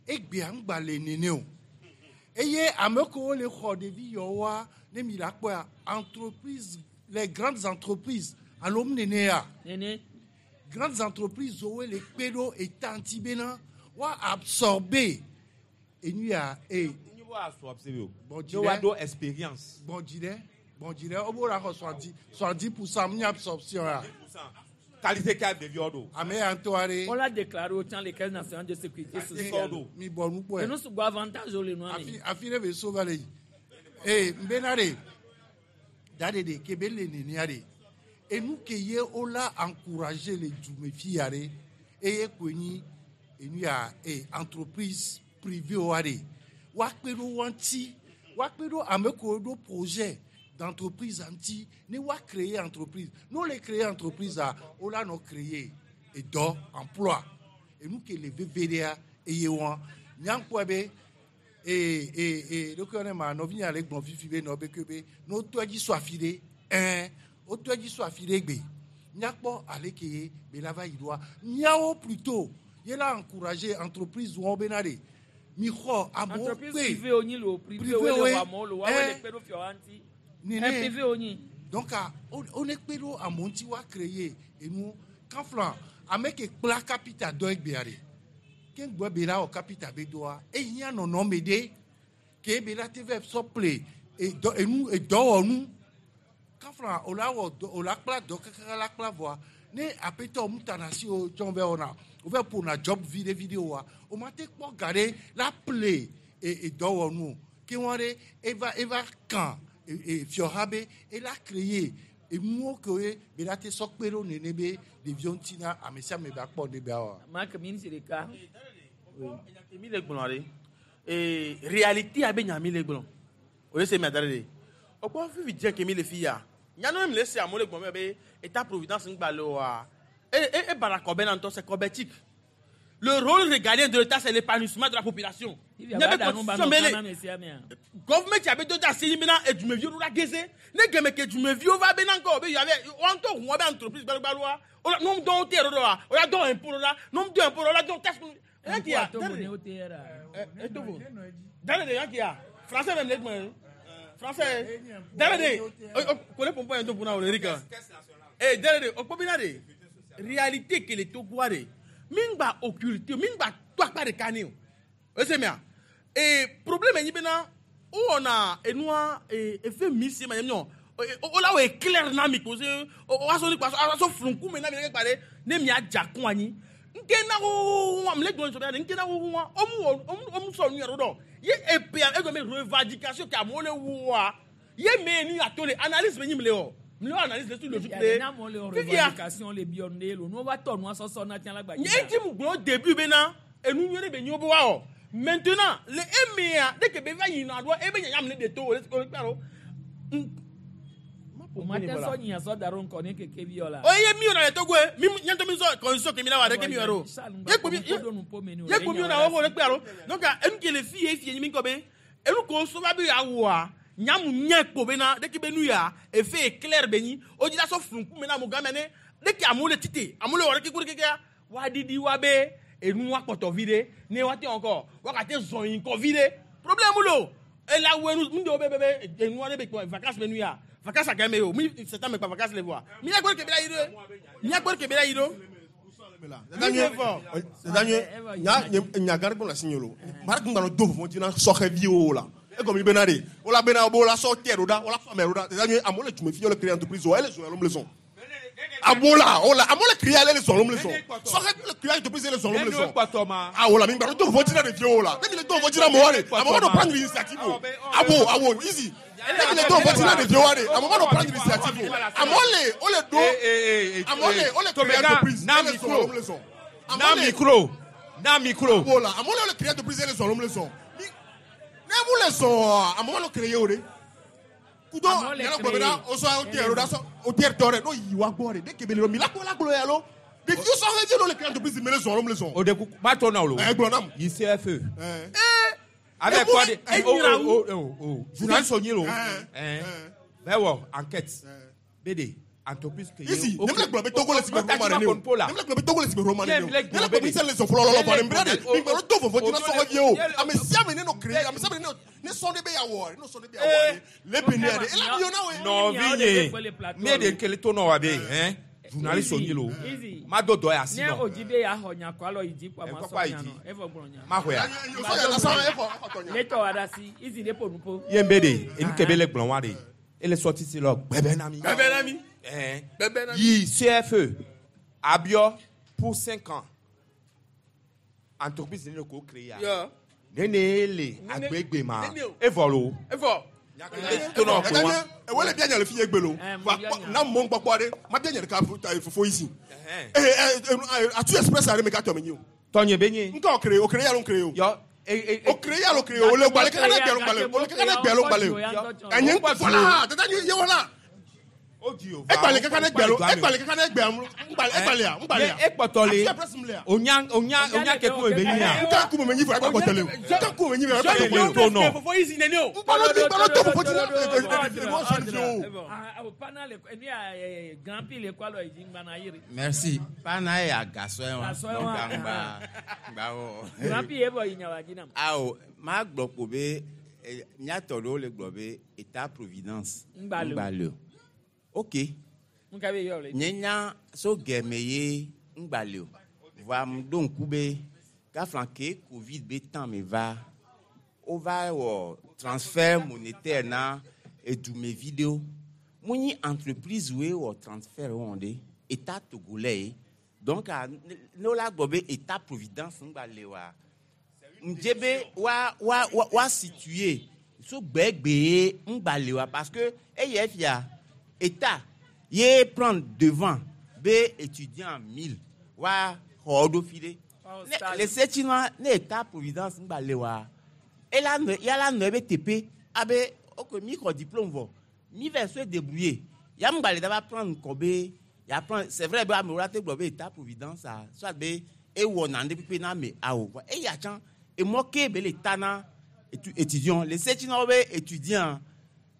Egbea ŋgba le nene o. Eye ame kewo le xɔ ɖevi yawoa ne mi la kpɔa entreprise les grandes entreprises alo mu nenea. Nene. Grandes entreprises woe le kpe ɖo état ŋuti bena woa absorber enu ya e. Bon, Ne wa do expérience. Bon, dzi ɖe bon dzi ɖe wobe la xɔ 70% mu nye absorption ya. Qualité ka ɖeviwo ɖo. Ame ya ŋutɔ aɖe. On l'a déclaré au temps les caisses nationales de sécurité sociale. Mi bɔ nu kpɔe. Enu sugbɔ avantage wo le nua me. Afi ɖe be so va le yi. Ee n bena ɖe da ɖe ɖe ke be le nenea ɖe enu ke ye wola encourager le dume fi ya ɖe eye koe nyi enu ya e entreprise privée wa ɖe woakpe ɖo wa ŋuti woakpe ɖo ame kewo ɖo projet d'entreprise ŋuti ne woa créer entreprise ne wole créer entreprise a wola nɔ créer edɔ emploi enu ke le veve ɖea eye wa nyankpɔe be ee ee ee ɖokui ne ma nɔvi le gblɔ fifi be nɔ be ke be ne wotɔ edzi so afi ɖe ɛn wotɔ edzi so afi ɖe gbe míakpɔ ale ke ye be la va yi ɖoa míawo plutôt ye la encourager entreprise wɔn bena ɖe mi xɔ amewo Entreprise kpe privée wo nyi lo privé Privé wo le woe. wɔ amewo lo woawoe Eh. le kpe ɖo fiawo ŋuti. Nene. Eh, privé wo nyi. donc a wo ne kpe ɖo amewo ŋuti woa créer enu kanflan ame ke kpla capital dɔ egbea ɖe ke ŋgbɔ be la wɔ capital be dɔa ehiã nɔnɔme ɖe ke be la te vɛ sɔ ple edɔ enu edɔwɔnu kanflan o la wɔ dɔ o la kpla dɔ kakaka la kpla vɔa ne aƒetɔ mu ta na si o tsɔn vɛ wɔna o vɛ ƒona job vi ɖe vi ɖe oa o ma te kpɔ ga ɖe la ple e edɔwɔnu o ke wɔn ɖe eva eva kan e e fiɔha be ela créer enuwo ke ye be la te sɔ kpe ɖo nene be ɖeviwo ŋuti na ame sia ame ba kpɔ ɖe be awɔ. Marc miniti ɖeka. Mi le gblɔ ɖe. Ee réalité abe nya mi le gblɔ. O ye se mia da ɖe ɖe. O kpɔ fifi dze ke mi le fi ya. Nyanu mi le se amewo le gblɔ me be état providence ŋgba le oa. E e e bara kɔbɛ na ŋutɔ c'est kɔbɛtique. Le rôle régalien de l'État, c'est l'épanouissement de la population. Fifia Nye ba be da nu ba constitution nɔ be le- kana ame sia amea. Government abe do da asi bena edumeviwo ɖo la geze. Ne geme ke edumeviwo va bena ŋkɔ be yabe woa ŋutɔ ʋu woabe entreprise gbalogbaloa. Wola nu dɔn te ɖo ɖoa. Wola dɔn impôt ɖo la. Nu dɔn impôt ɖo la dɔn taxe. Yanki ya. Togo ne wo te yɛrɛ. Eh Togo. Dale de yanki ya. Français même le gbɔn. Français. Dale de. Kole pɔnpɔn yɛn to kunna o le Eric. Eh dale de o kpɔ bena de. Réalité ke le Togoa de. Min gba occulter, min gba to akpa ɖeka ne o. Ese mia. E problème nyi bena wowɔna enua e efe mi si ma nyɔ o la wɔ éclair na mi ko se o aso ni kpa aso funku me na mi ɖe kpa ɖe ne mia dza kun anyi nke na wo wa mle gbɔn sɔbia nke na wo wa omu wɔ omu omu sɔ nu yɛrɛ dɔ ye epea egɔme revendication ke amewo le woa Ye me nu ya to le analyse be nyim le o. Mi le analyse le tout logique le. Na mo le Fifia. revendication le biɔ ne lo. Nu va tɔ nua sɔsɔ na tiɲɛ la gba. Nye ŋuti mu gblɔ au début bena enu nyuie ɖe be nyo be woawɔ. Maintenant le emea ɖe ke be va yina ɖoa ebe nyanya me ne ɖe to o le o le kpe alo. O ma tɛ sɔ nyinya sɔ da ɖo ŋkɔ ne keke bi yɔ la. Oye mi yɔna le Togo ye mi nye ŋutɔ mi sɔ constitution ke mi la wa ɖe ke mi yɔ ɖo. Ye kpo mi ye kpo mi yɔna wo le kpe alo. Donc enu ke le fi ye fi ye nyi mi ŋkɔ be enu ko so va be yeawɔa nyamu nye kpo bena ɖe ke be nu ya efe éclair be nyi o dzi la sɔ flu ŋkume na amewo game ne ɖe ke amewo le tite amewo le wɔ ɖe ke ku ɖe kekea woaɖiɖi wa be enu wa kpɔtɔ vi ɖe ne woate ŋkɔ woagate zɔ yi ŋkɔ vi ɖe problème lo ela wɔ enu nu ɖewo be be be enua ɖe be kpɔ vacances be nu ya vacances agame me o mi septembre kpa vacances le voa mia gbɔ ke be la yi ɖo mia gbɔ ke be la yi ɖo. Nya gã ɖe gblɔ le asinye lo. Mara gbɔna do vɔvɔ̃ dzi na sɔhɛviwo la. Egɔme bena ɖe wola bena wo la sɔ tɛ ɖo ɖa, wola sɔ ame ɖo ɖa. Dada nyuie, amewo le dume fi le créer entreprise o, ele zɔn alo mele zɔn. Amewo la, wola, amewo le créer ale le zɔn alo mele zɔn. Sɔhɛviwo le créer entreprise ele zɔn alo mele zɔn. Awo la, mi gba do vɔvɔ̃ dzi na ɖeviwo la. Ne mi le do vɔvɔ̃ dzi na amewoa ɖe, amewo ma nɔ prendre initiative o. Awo, awo, easy. Ne mi le do vɔvɔ̃ dzi na ɖeviwoa ɖe, amewo ma nɔ prendre initiative o. Amewo le, wole ɖo, amewo le, wole créer entreprise na ele zɔn alo mele zɔn. Na micro. Na micro. Amewo la, amewo le, wole créer entreprise ele zɔn alo mele zɔn. Ne mu le zɔn amewo ma nɔ créer o ɖe. Kudo Amewo le nyana gblɔ bena créer. wosɔ hotel ɖo ɖa sɔ hotel tɔ ɖe n'o yi wa gbɔ ɖe ne kebe le mi la kpɔ la gblɔ ya lo. Ɖeviwo sɔ hɛ dzi le créer entreprise me le zɔn alo mele zɔn. O de kuku ma tɔ na o lo. Ɛ gblɔ nam. Yi CFE. Ɛ. Avec Emu quoi le- de e oh nyra oh wu. oh oh journaliste onyi lo. Ɛn. Bɛ wɔ enquête. Bede entreprise ke ye. Isi, ne mele gblɔ be Togo le si be Roma nene o. Ne Ne mele gblɔ be Togo le si be Roma nene o. Nye mele Ne gblɔ mele gblɔ be be sɛ le zɔn fɔlɔlɔlɔ vɔ ne mbra de. O- Mi gblɔ do vɔvɔ̃ dzi na o- sɔhɛviwo. Ame sia ame ne nɔ créer, ame sia ame ne nɔ ne sɔn ɖe be yeawɔ, ne nɔ sɔn ɖe be yeawɔ ɖe. Le Benin ɖe, ela bi yɔ na woe. Nɔvi nye mi de kele to nɔ wa be hɛn journaliste onyi lo. Easy. Ma do dɔ ya si Ne nɔ. o dzi be yaxɔ nya kɔ alɔ yi dzi kɔ ma kɔkɔ sɔ ayi nya dzi. nɔ evɔ gblɔ nya. Ma xɔe ya. Ne tɔ wa ɖe asi easy ne ƒo nu ƒo. Ye be de enu ke be le gblɔ wa de ele sɔ titi lɔ gbɛbɛ na mi. Gbɛbɛ na mi. Ɛn. Gbɛbɛ na mi. Yi CFE abiɔ pour 5 ans entreprise ne le ko créer ya. Yɔ. Nene le Nene- agbegbe ma nene o. evɔ lo. Evɔ. To nɔ ko wa. Ewe le bia nya le fi ye gbe lo. Va kpɔ- Na mɔ kpɔkpɔ ɖe, ma bia nya ɖeka ta fofo yi si. Ee ɛ atu express aɖe me ka tɔ me nyi o. Tɔnye be nye. Ŋkɔ o créer, o créer alo créer o. Yɔ. O créer alo créer o. O le gbalẽ kaka ne gbe alo gbalẽ o. O le kaka ne gbe alo gbalẽ o. Enye ŋkɔ voilà, dada nye ye wala. Egbalẽ kaka ne gbe alo, egbalẽ kaka ne gbe alo, ŋgbalẽ egbalẽa, ŋgbalẽa. Ekpɔtɔ le. Atu express mu lea. Onya onya onya ke kun be nyi ya. Nka ku me nyi fɔ egba kpɔtɔ le o. Nka ku me nyi fɔ egba kpɔtɔ le o. To nɔ. Fofo yi si nene o. Ŋgbalẽ ŋgbalẽ do vɔvɔ̃ dzi na ɖeviwo sɔhɛviwo. Ah, o pana le enu ya grand prix le kɔ alɔ yi dzi ŋgbana yiri. Merci. Pana ye agasɔ ye wa. Gasɔ ye Donc, wa. ŋgba ŋgba wɔ. Grand prix ye bɔ yi nya wa dzi nam. Awo, ma gblɔ ko be eh, míatɔ ɖewo le gblɔ be état providence. Ŋgba le o. Ŋgba le o. Ok. Ŋka be yɔ le. Nye nya so gɛmɛ ye ŋgba le o. Voa m ɖo ŋku be gafla ke Covid be temps me va, wova wɔ transfert monétaire na edumevi ɖewo. Mu nyi entreprise woe wɔ transfert wɔn ɖe état togolais ye. Donc a, ne wola gblɔ be état providence ŋgba le oa, ŋdze be wa wa wa wa situer so gbɛgbɛ ye ŋgba le oa parce que eye fia état ye prendre devant be étudiant 1000 wa xɔ ɖo fi ɖe. Ne le setsi nua ne état providence ŋgba le oa, ela nɔ yala nɔ ebe teƒe abe ok mi xɔ diplôme vɔ mi va se débrouiller ya ŋgba le da va prendre ŋkɔ be ya prendre c'est vrai be amewo la te gblɔ be état providence a soit be ewɔ nane kpekpe na ame awo vɔ eya tsã emɔ ke be le ta na étudiant le setsi na wo be étudiant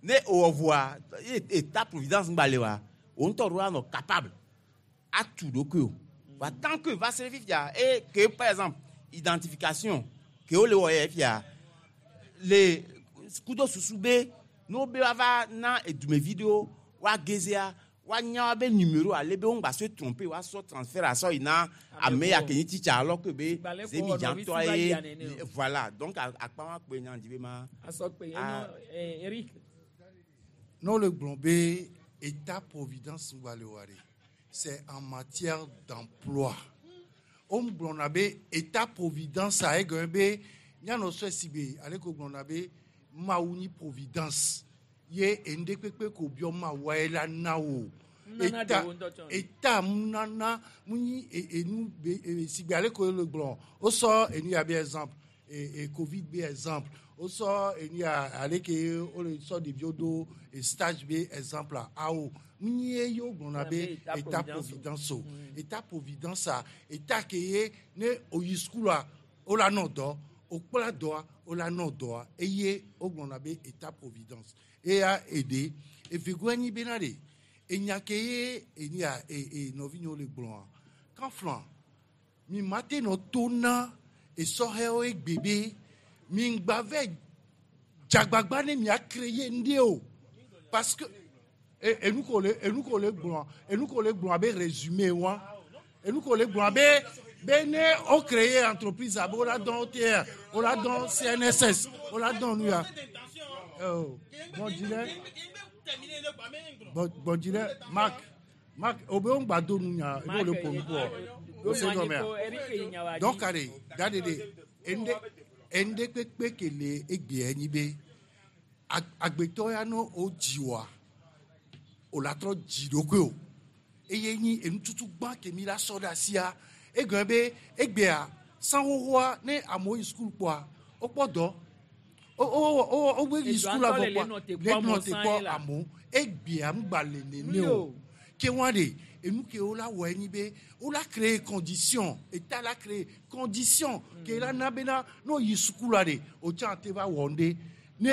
ne ewɔ vɔa ye état providence ŋgba le oa wo ŋutɔ ɖo anɔ capable atu ɖokui o wa tant que va se fifia et que par exemple identification ke wo le wɔ yɛ fia le kudo susu be ne wo be woava na edumevi ɖewo woa gezea woanya woabe numéro ale be wo ŋgba se tromper woasɔ transfert asɔ yi na ame ya ke nyi titsa alɔ ke be Gbalẽ ko zemi wɔ nɔvi dzãtɔ si va ye yia nene o. voilà donc akpa wa kpe nya dzi be ma. Asɔkpe Ah. enyo Eric. Non, le Blombé, État-providence Ngbaleware, c'est en matière d'emploi. On Blonabé, État-providence, a égombe, Nyano Sibe, allez ko Blonabé, Maouni providence. Ye ende kpekpe ko biɔ ma wa ye la na o. Nunana Eta de wo ŋutɔ tsɔ. eta nunana mu nyi enu be sigbe ale ko le gblɔ o sɔ enu ya be exemple covid be exemple o sɔ enu ya ale ke o le sɔ ɖeviwo do stage be exemple awo mu nyi ye yo gblɔna be État état providence providence o état providence a état ke ye ne o yi sukula o la nɔ dɔ o kpla dɔa o la nɔ dɔa eye o gblɔna be état providence eya eɖe evegoa nyi bena ɖe enya ke ye enu ya e nɔvinyewo le gblɔa kanflan mi ma te nɔ to na esɔhɛwo egbe be mi ŋgba vɛ dzagbagba ne mia créer ŋɖe o parce que enu ko le enu ko le gblɔ enu ko le gblɔ abe résumé wa enu ko le gblɔ abe be ne o créer entreprise abe o la dɔn OTR o la dɔn CNSS o la dɔn nu ya. Oh, bon dirait bon dirait Marc Marc o be o ŋgba do nu nya ebe o le ƒo nu kpɔ o se gɔmea donc are da de de ende ende kpekpe ke le egbea nyi be agbetɔ ya no o dzi wa o la trɔ dzi ɖokui o. Eye nyi enututu gbã ke mi la sɔ ɖe asia. Egɔme be egbea san xoxoa ne amewo yi sukulu kpɔa wokpɔ dɔ. O o o o be yi sukulu ŋutɔ le avɔ kpɔa le nɔ te le kpɔ nɔ amewo te sã kpɔ ye la. amewo. Egbea ŋgba le nene Nu o. o. Ke wa de enu ke wo la wɔ enyi be wo la créer condition état la créer condition ke la na bena n'o yi sukulu de o tsã te va wɔ ŋɖe ne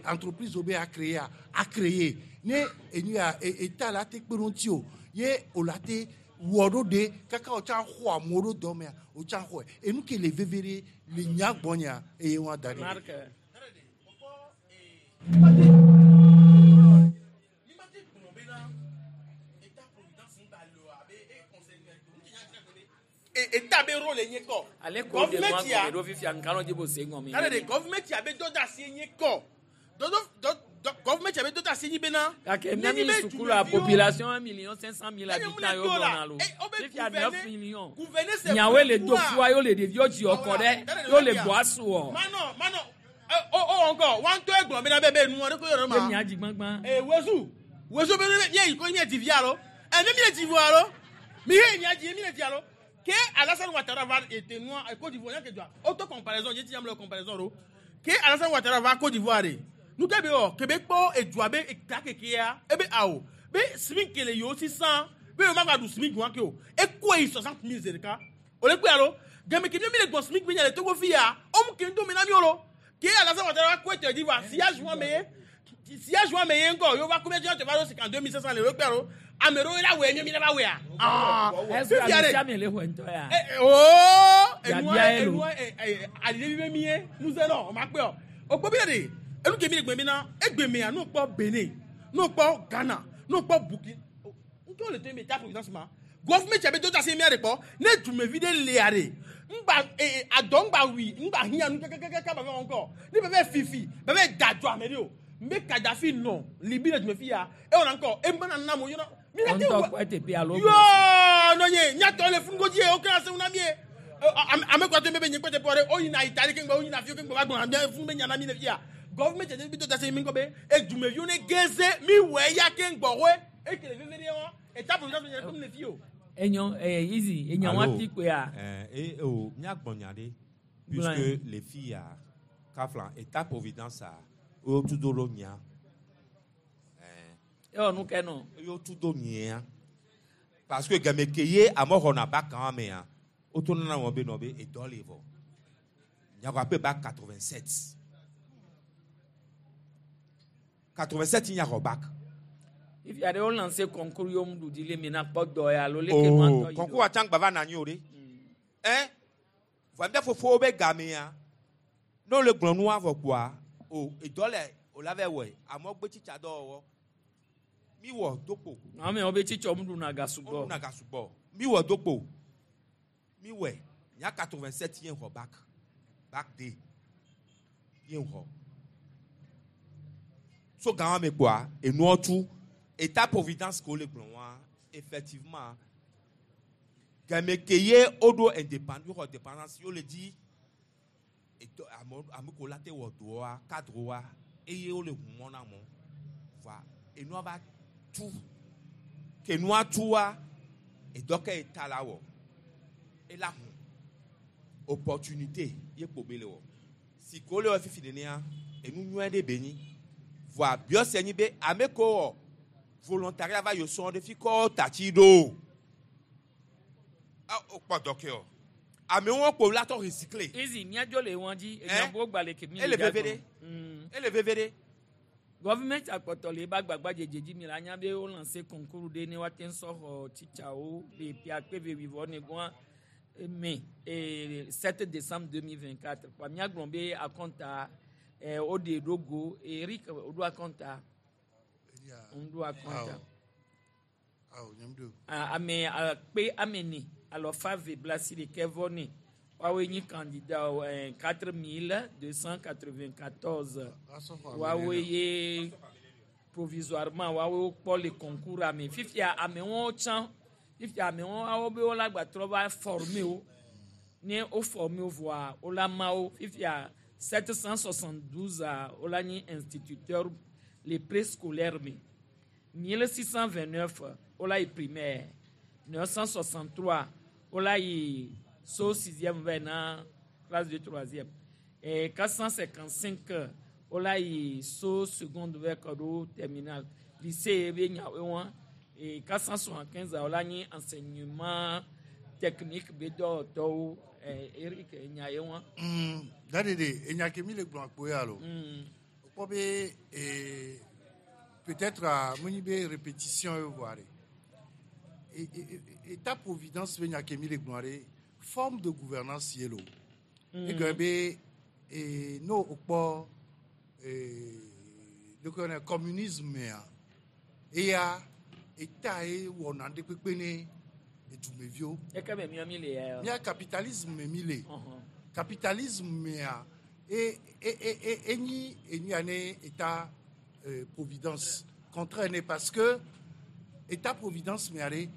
entreprise wo be a créer a a créer ne enu ya état la te kpe ɖe ŋuti o ye o la te wɔ ɖo de kaka o tsã xɔ amewo ɖo dɔ mea o tsã xɔe enu ke le veve ɖe le nya gbɔnya eye wa da ɖe. Marc. État be rôle nye kɔ. Ale ko de Government nua ya gɔme ɖo fifia nkalɔ dzi bo se gɔme. Tare de government ya be dɔ da asi nye kɔ. Dɔdɔ dɔ dɔ government ya be dɔ da asi nyi bena. Gake mía mi sukulu a population 1 500 000 habitants yewo gblɔna lo. Fifia 9 millions. Nyawoe le do fua yewo le ɖeviwo dzi kɔ ɖe yewo le gbɔ asu wɔ. Manɔ manɔ o o ŋkɔ wa ŋutɔ egblɔ bena be be nua ɖe ko yɔrɔ ma. Ye mia dzi gbãgbã. Ee wezu wezu be ne mía yi ko mía dzi via lo. Ɛ ne mía dzi via lo. Mi he mía dzi mía dzi alo. Ke Alassane Ouattara va ete nua Côte d'Ivoire nya ke dzɔa. Auto comparaison ye ti am le comparaison ro. Ke Alassane Ouattara va Côte d'Ivoire de. Nu ke be wɔ ke be kpɔ edua be eta kekea ebe awo be SMIC le yewo sisan be yewo ma gba ɖu SMIC wa ke o. Ekoe yi 60 000 zi ɖeka. O le kpe alo. Game ke mi le gbɔ SMIC be nya le Togo fi ya. O mu ke ŋdo me na mi o lo. Ke Alassane Ouattara va ko ete dzi va sillage wa me ye. Sillage wa me ye ŋkɔ yewo va ko mi ati va ɖo 52 500 le wo kpe alo. Ame ɖewo la wɔe mi mi la va wɔea. Ah. Est-ce que Fifia ame ɖe. sia ame le xɔe ŋutɔ ya? Oh, enua Biabia ye lo. enua alilevi be mi ye nuze nɔ o ma kpe o. O kpɔ bi ɖe enu ke mi le gbe mi na egbe mea n'o kpɔ Benin n'o kpɔ Ghana n'o kpɔ Burkina ŋutɔ le to mi ta providence ma gɔfumɛ tse be do ta se mia de kpɔ ne dumevi ɖe lea de ŋgba ee adɔ ŋgba wi ŋgba hiã nu kɛkɛkɛkɛ ba fɛ wɔn kɔ ne bɛ bɛ fifi bɛ bɛ da jɔ ame de o n bɛ Kadafi nɔ Libi le dumefi ya e wɔna ŋkɔ e mana na mo yɔrɔ mi na te Ŋutɔ wɔ kpɔ eteƒe alo. yoo nɔnye nyatɔ le funugodzi ye wo kena seŋu na mi ye ame kɔtɔ mi be nye kpɛtɛ pɔ ɖe wo yina Itali keŋgbɛ wo yina fiwo keŋgbɛ va gbɔna mia funu be nya na mi le fia gɔvumɛ tse bi to ta se mi ŋkɔ be edumeviwo ne geze mi wɔ eya keŋgbɔ hoe ekele veve ɖe wa eta providence mi nye le fi o. Enyo easy enya wa ti koe. Eh, oh, míagbɔ nya ɖe Gblɔe. puisque les filles a kafla état providence a wotu do ɖo mia. Ewɔ nu ke nɔ. Wotu do mia parce que game ke ye ame xɔna ba kan mea woto nana wɔn be nɔ be edɔ le vɔ nyago ape ba 87 87 nyaxɔ bac. Fifia ɖe wo lancé concours yewo ŋu ɖu dzi le mi na kpɔ dɔ ya alo leke nua ŋutɔ Oh, yi ɖo. concours atsa ŋgba va na anyi o ɖe. Ɛn vɔ mía fofowo be gamea ne wole gblɔ nua vɔ kpoa o edɔ le o la vɛ wɔe amewo gbe tsitsa dɔwɔwɔ mi wɔ dokpo. Amewo be tsitsɔ mu ɖuna ga sugbɔ. Wo ɖuna ga sugbɔ mi wɔ dokpo mi wɔe nya 87 ye xɔ bac bac D ye xɔ so gama me kpoa enuɔ tu état providence ko le gblɔ wa effectivement game ke ye woɖo indépendance xɔ indépendance ye wole dzi eto ame ame ko la te wɔ dɔa cadre wa eye wole ʋu mɔ na amewo. Voa enua va tu. Ke nua tua, edɔ ke eta la wɔ. Ela hu. Opportunité ye kpo be le wɔ. Si ko le wɔ fifi nenea, enu nyuie ɖe be nyi. Voa biɔ se nyi be ame ko wɔ volontariat va yio sɔn ɖe fi kɔ tatsi ɖo. Ah, o kpɔ dɔ ke o. Amewo kpo la tɔ recycler. Izi míadzo le wọn dzi enyagbo gba le ke mi Ele veve ɖe. Ele veve ɖe. Gɔvimɛnti akpɔtɔ le eba gbagba dzedze dzi mi la nya be wo lancé concours ɖe ne woate ŋu sɔ xɔ titsawo le ƒe akpe ve wuivɔ ne gɔa mai 7 décembre 2024 kpa míagblɔ be akɔnta woɖe ɖo go. Eric, woɖo akɔnta, ŋɖo akɔnta. Awo, nyam do. Ah, ame akpe 4,294 woawoe nyi candidat wo, 4294 woawoe ye provisoirement woawoe wokpɔ le concours ame. Fifia amewo tsã, fifia amewo awo be wola gbatrɔ va former wo. Ne wo former wo vɔa, wola ma wo. Fifia 772 a wola nyi instituteur le préscolaire me, 1629 wola yi primaire, 963 wola yi so sixième va na classe de troisième, et 455 wola yi so seconde vers kɔɖo terminal. Lycée be nyawoe wɔn, et 475 wola nyi enseignement technique be dɔwɔtɔwo. Eric, nya ye wɔn. Dade de enya ke mi le gblɔ akpo ya lo. Kpɔ be peut-être mo nyi be répétition ye voa ɖe. État providence be nya ke mi le gblɔ ɖe, forme de gouvernance ye lo. Egɔme be no o kpɔ donc on communisme mea, eya état ye wɔna ɖe kpekpe ne edumeviwo. Eke me miɔ mi le ya. Mía capitalisme me mi le. Capitalisme mea, e e e e enyi enu ya ne état providence contraire ne, parce que état providence mea ɖe,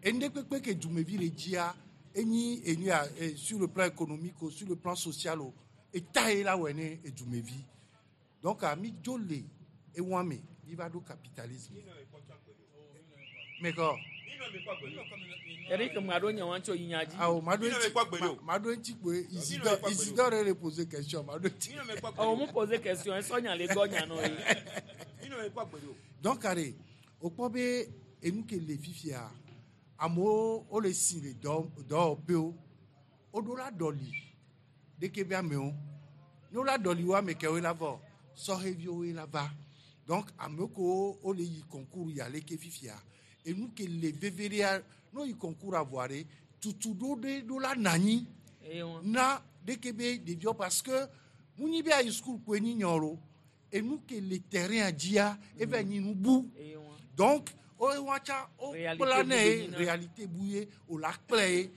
enu kpekpe ke dumevi le dzia, enyi enu ya sur le plan économique o, sur le plan social o, état ye la wɔe ne edumevi. Donc mi dzo le ewa me, mi va ɖo capitalisme mais kɔ. Eric, ma ɖo nye wɔn tso yi nya dzi. Awo, ma ɖo ŋuti ma ɖo ŋuti kpoe. Isidore, Isidore le poser question, ma ɖo ŋuti. Ɔwɔ mu poser question, esɔ nya le gbɔ nya nɔ ye. Donc are o kpɔ be enu ke le fifia, amewo wole si le dɔ dɔwɔƒewo, woɖo la ɖɔli ɖeke be amewo ne wola ɖɔli wo, ame kewoe la vɔ, sɔheviwoe la va. Donc amewo kewo wole yi concours ya leke fifia, enu ke le veve ɖea, ne woyi concours avɔa ɖe, tutu ɖo ɖe ɖo la nɔ anyi na ɖeke be ɖeviwo, parce que mu nyi be ayi school koe nyi nyɔ lo, enu ke le terrain dzia, eva nyi nu bu. Donc wo wa tsa wo kpla ne ye réalité bu ye o la kplɛ ye,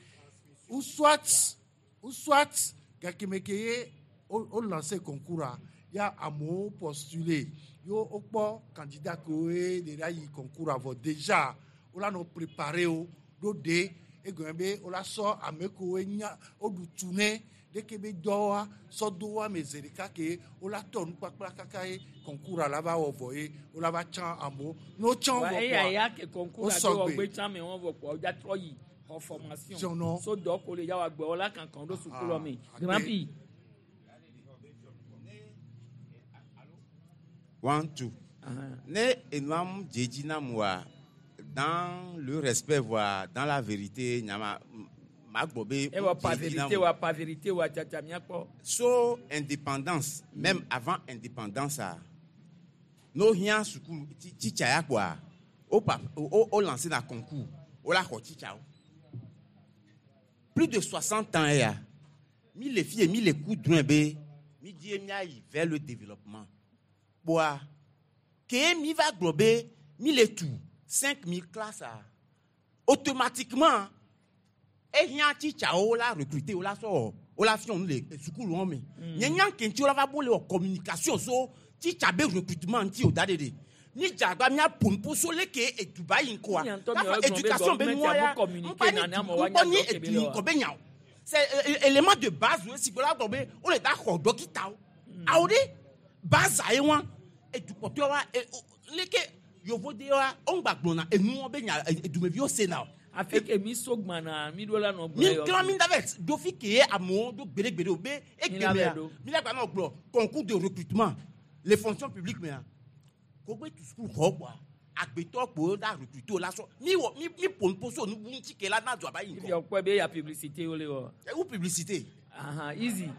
ou soit gakeme ke ye o lancé concours a ya, amewo postuler yo, wokpɔ candidat kewo ye le la yi concours avɔ, déjà wo la nɔ préparer wo ɖo ɖe egɔme be wo la sɔ ame kewo nya woɖu tu ne ɖeke be dɔwa sɔ do wo ame ze ɖeka ke wo la tɔ nukpakpla kaka ye concours a la va wɔ vɔ ye wo la va tsã amewo ne wo tsã vɔ. Eya ya ke concours a do wɔ gbe tsã me wɔn vɔ kpɔ, wodza trɔ yi xɔ formation so dɔ ko le ya wa gbɛ wɔ la kankan ɖo sukulu me. Grand Prix. One, two. Ne enua dze na mua, dans le respect voire dans la vérité, nyama ma gbɔ be. E wa pa vérité wa pa vérité wa tsatsa miakpɔ. So indépendance, même avant indépendance a, no hiã sukulu titsa ya kpoa, o pa o lancé na concours, o la xɔ titsawo. Plus de 60 ans ya, mi le fie mi le ku drɔ̃e be mi di ye miayi vers le développement. Kpoa, ke mi va gblɔ be mi le tu 5000 classes a, automatiquement ehiã titsawo la recruter, wo la sɔ wo la fiɔ nu le sukulu wɔn me. Nye nya kentsi wo la va bo le wɔ communication so titsa be recrutement ŋuti o da ɖeɖe. Mi dze agba mia ƒo nuƒo so leke eduba yi ŋkɔa. Kafa éducation be nua ya ŋkpa ni ŋkpɔ ni edu yi ŋkɔ be nya o. C'est élément de base wo si gbɔdɔ gblɔ be wo le da xɔ dɔkitawo. Awo ɖe base ye wa edukpɔtɔ wa. Leke yovode wa ŋgba gblɔna enuwo be nya dumeviwo sena o. Afi ke mi so gbana mi ɖo la nɔ gblɔ Mi klan mi da vɛ do fi ke ye amewo do gbeɖegbeɖe o be Mi la mea vɛ ɖo. mi la gba nɔ gblɔ concours de recrutement les fonctions publiques mea kogbe tu sukulu xɔ kpoa agbetɔ kpo da recruter o la sɔ mi wɔ mi mi ƒo nuƒo so nubu ŋuti ke la na dua ba yi Ifi ŋgɔ. ɔkpɔe be ya publicité wo le wɔ. Ewu publicité. Ahan easy.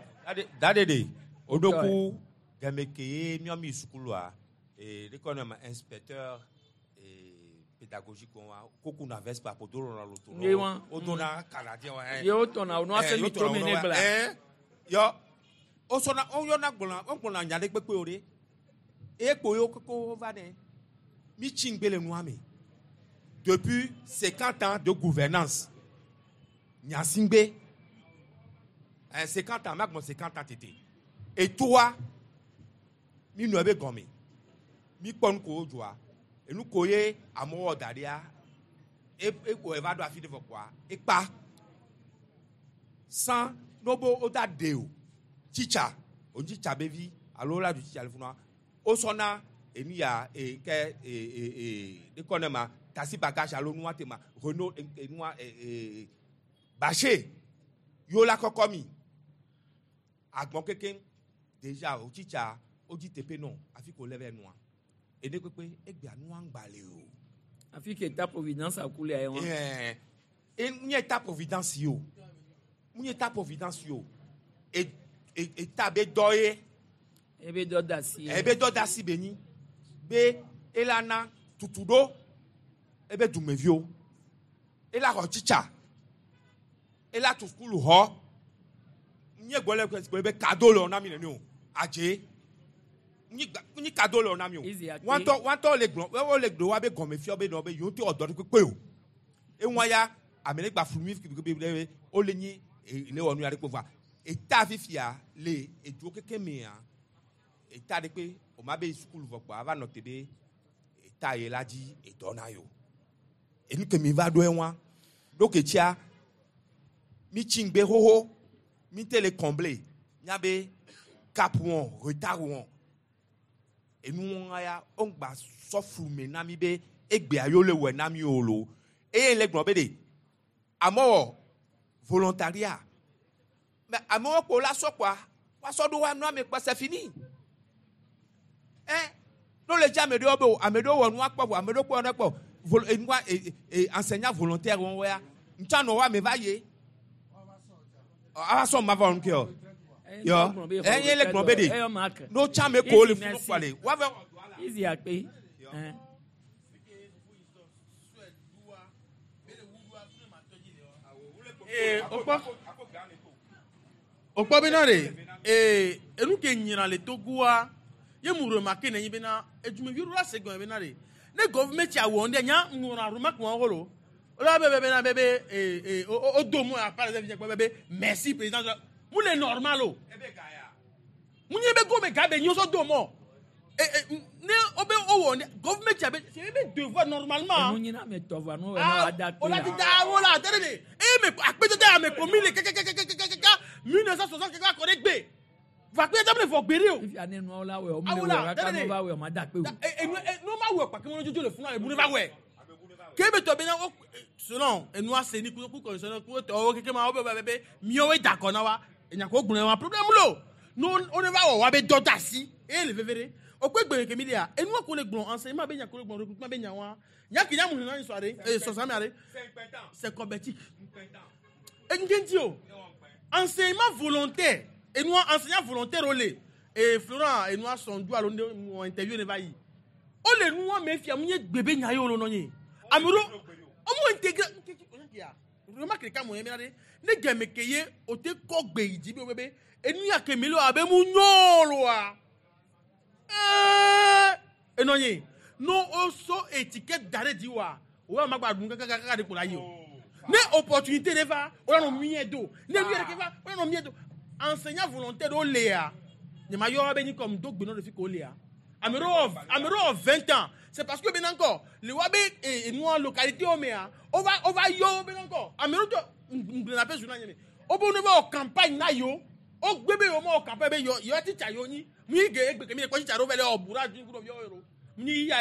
Dade de odoku game ke ye miɔ mi sukulua ee de kɔ ne ma inspecteur ee pédagogique wa koku na vespa po do lɔna loto Ye wa. o donna canadien wa Ye wo tɔna o nɔ ase mi to mi ne gbla. Yɔ o sɔna o yɔna gblɔna o gblɔna nya ɖe kpekpe o de eye kpo yewo koko va ne mi tsi ŋgbe le nua me depuis 50 ans de gouvernance Gnassingbé 50 ans magbɔn 50 ans tete etoa mi nɔ ebe gɔme mi kpɔ nu ko wo dzɔa enu ko ye amewo wɔ da ɖia e e wɔ eva ɖo afi ɖe vɔ kpoa ekpa san n'obo wo da de o tsitsa o tsitsa be vi alo wo la du tsitsa le funua wo sɔna enu ya e ke e e e de kɔ ne ma taxi bagage alo nua te ma Renault enua e e bâché yo la kɔkɔ mi. Agbɔn keke déjà o tsitsa o dzi teƒe nɔ afi ko lɛ vɛ nua ene kpekpe egbea nua ŋgba le o. Afi ke ta providence akule ayi wa. Ɛɛ e nye ta providence yi o nye ta providence yi o e e eta be dɔ ye. Ebe dɔ da si. Ebe dɔ da si be nyi be ela na tutu ɖo ebe dumeviwo ela xɔ tsitsa ela tu sukulu xɔ nye gbɔ le gblɔ be kado le wɔ na mi nene o adze nyi kado le wɔ na mi o. Wantɔ wantɔ le gblɔ wo le gblɔ wa be gɔme fiɔ be nɔ be yewo te wɔ dɔ ɖe kpekpe o. Eŋua ya ame ɖe gba flu mi be be wo le nyi le wɔ nu ya ɖe kpe vɔa eta fifia le eduwo keke mea eta ɖe kpe o ma be sukulu vɔ kpoa ava nɔ te be eta ye la dzi edɔ na yo enu ke mi va ɖo eŋua ɖo ke tsia mi tsi ŋgbe xoxo mi te le combler nya be cap wɔn retard wɔn enu wɔn ya wo ŋgba sɔ flu me na mi be egbea yo le wɔe na mi o lo. Eye le gblɔ be de amewo volontariat. Mais amewo kpo la sɔ kpoa woasɔ ɖo wa nua me kpɔ c'est fini. Ɛ n'o le dzi ame ɖewo be o ame ɖewo wɔ nua kpɔ vɔ ame ɖewo kpɔ nua kpɔ. Vol enua e e enseignant volontaire wɔn ya ŋutsu nɔ wa ame va ye. Ava sɔ ma va wɔn ke o yɔ eye le gblɔ be de n'o tsa ame ko le funu kpɔ le wa vɛ. Easy akpe. Ee okpɔ okpɔ bena de ee enu ke nyina le Togoa ye mu remarque ne nyi bena edumevi ɖo la se gɔme bena de ne gɔvumɛti awɔ ŋɖe nya ŋlɔna remarque wɔn wolo o la be be bena be be ee ee o o do mu a par exemple be be merci président mu le normal o mu nye be gome ga be nyi o sɔ do mɔ ee ee ne o be o wɔ gɔvumɛti abe c'est be devoir normalement. Enu nyina ame tɔ vɔ nu wɔ na wa da O la ti da wo la tẹ́lẹ̀ de eye me akpɛtɛtɛ ame ko mi le kɛkɛkɛkɛkɛkɛ 1960 kɛkɛ akɔ de gbe va akpɛtɛtɛ mi le fɔ gbere o. Ifi ane nuawo la wɛ o mu le wɛ kaka nu va wɛ o ma da kpe o. Enu enu ma wɛ kpakɛ mo jojo le funu ebu ne va wɛ. Kebe tɔ bena o selon enua se ni ku condition ku tɔwo keke ma wo be be be miawoe da kɔ na wa enyako gblɔ wa problème lo no o ne va wɔ wa be dɔ da si eye le veve de o kpe gbe kemi de ya enua ko le gblɔ enseignement be nya ko le gblɔ recrutement be nya wa nya ke nya mu na sɔ de ee sɔsɔ mi ale c'est kɔbɛtik eŋgɛnti o. Enseignement volontaire. Enua enseignant volontaire o le. Ee Florent enua sɔndu alo ne mo interview ne va yi. O le nua me fia mu nye gbebe nya ye o lo nɔ nye. Ame ɖewo o mu intégré remarque ɖeka mo ye bena de ne gɛmɛ ke ye o te kɔ gbe yi dzi be be enu ya ke mi le o abe mu nyɔ loa ɛɛ enɔ nye no o so étiquette da ɖe dzi wa o wa ma gba ɖu kakakaka de ko la yi o. Ne opportunité de va o la nɔ miɛ do. Ne nu yɛrɛ ke va o la nɔ miɛ do. Enseignant volontaire ɖewo lea nye ma yɔ be nyi comme do gbenɔ ɖe fi ko lea ame ɖewo ame ɖewo wɔ 20 ans. C'est parce que bena ŋkɔ le wa be enua localité wo mea o va o va yɔ wo bena ŋkɔ ame ɖewo tɔ ŋgblẽna ƒe journal nye me. Wo be ne va wɔ campagne na yewo wo gbe be yewo ma wɔ campagne be yɔ yɔ titsa yewo nyi. Mi ge egbe ke mi le kpɔ titsa ɖewo va le wɔ bura dzi ku ɖeviwo ɖo Ni ya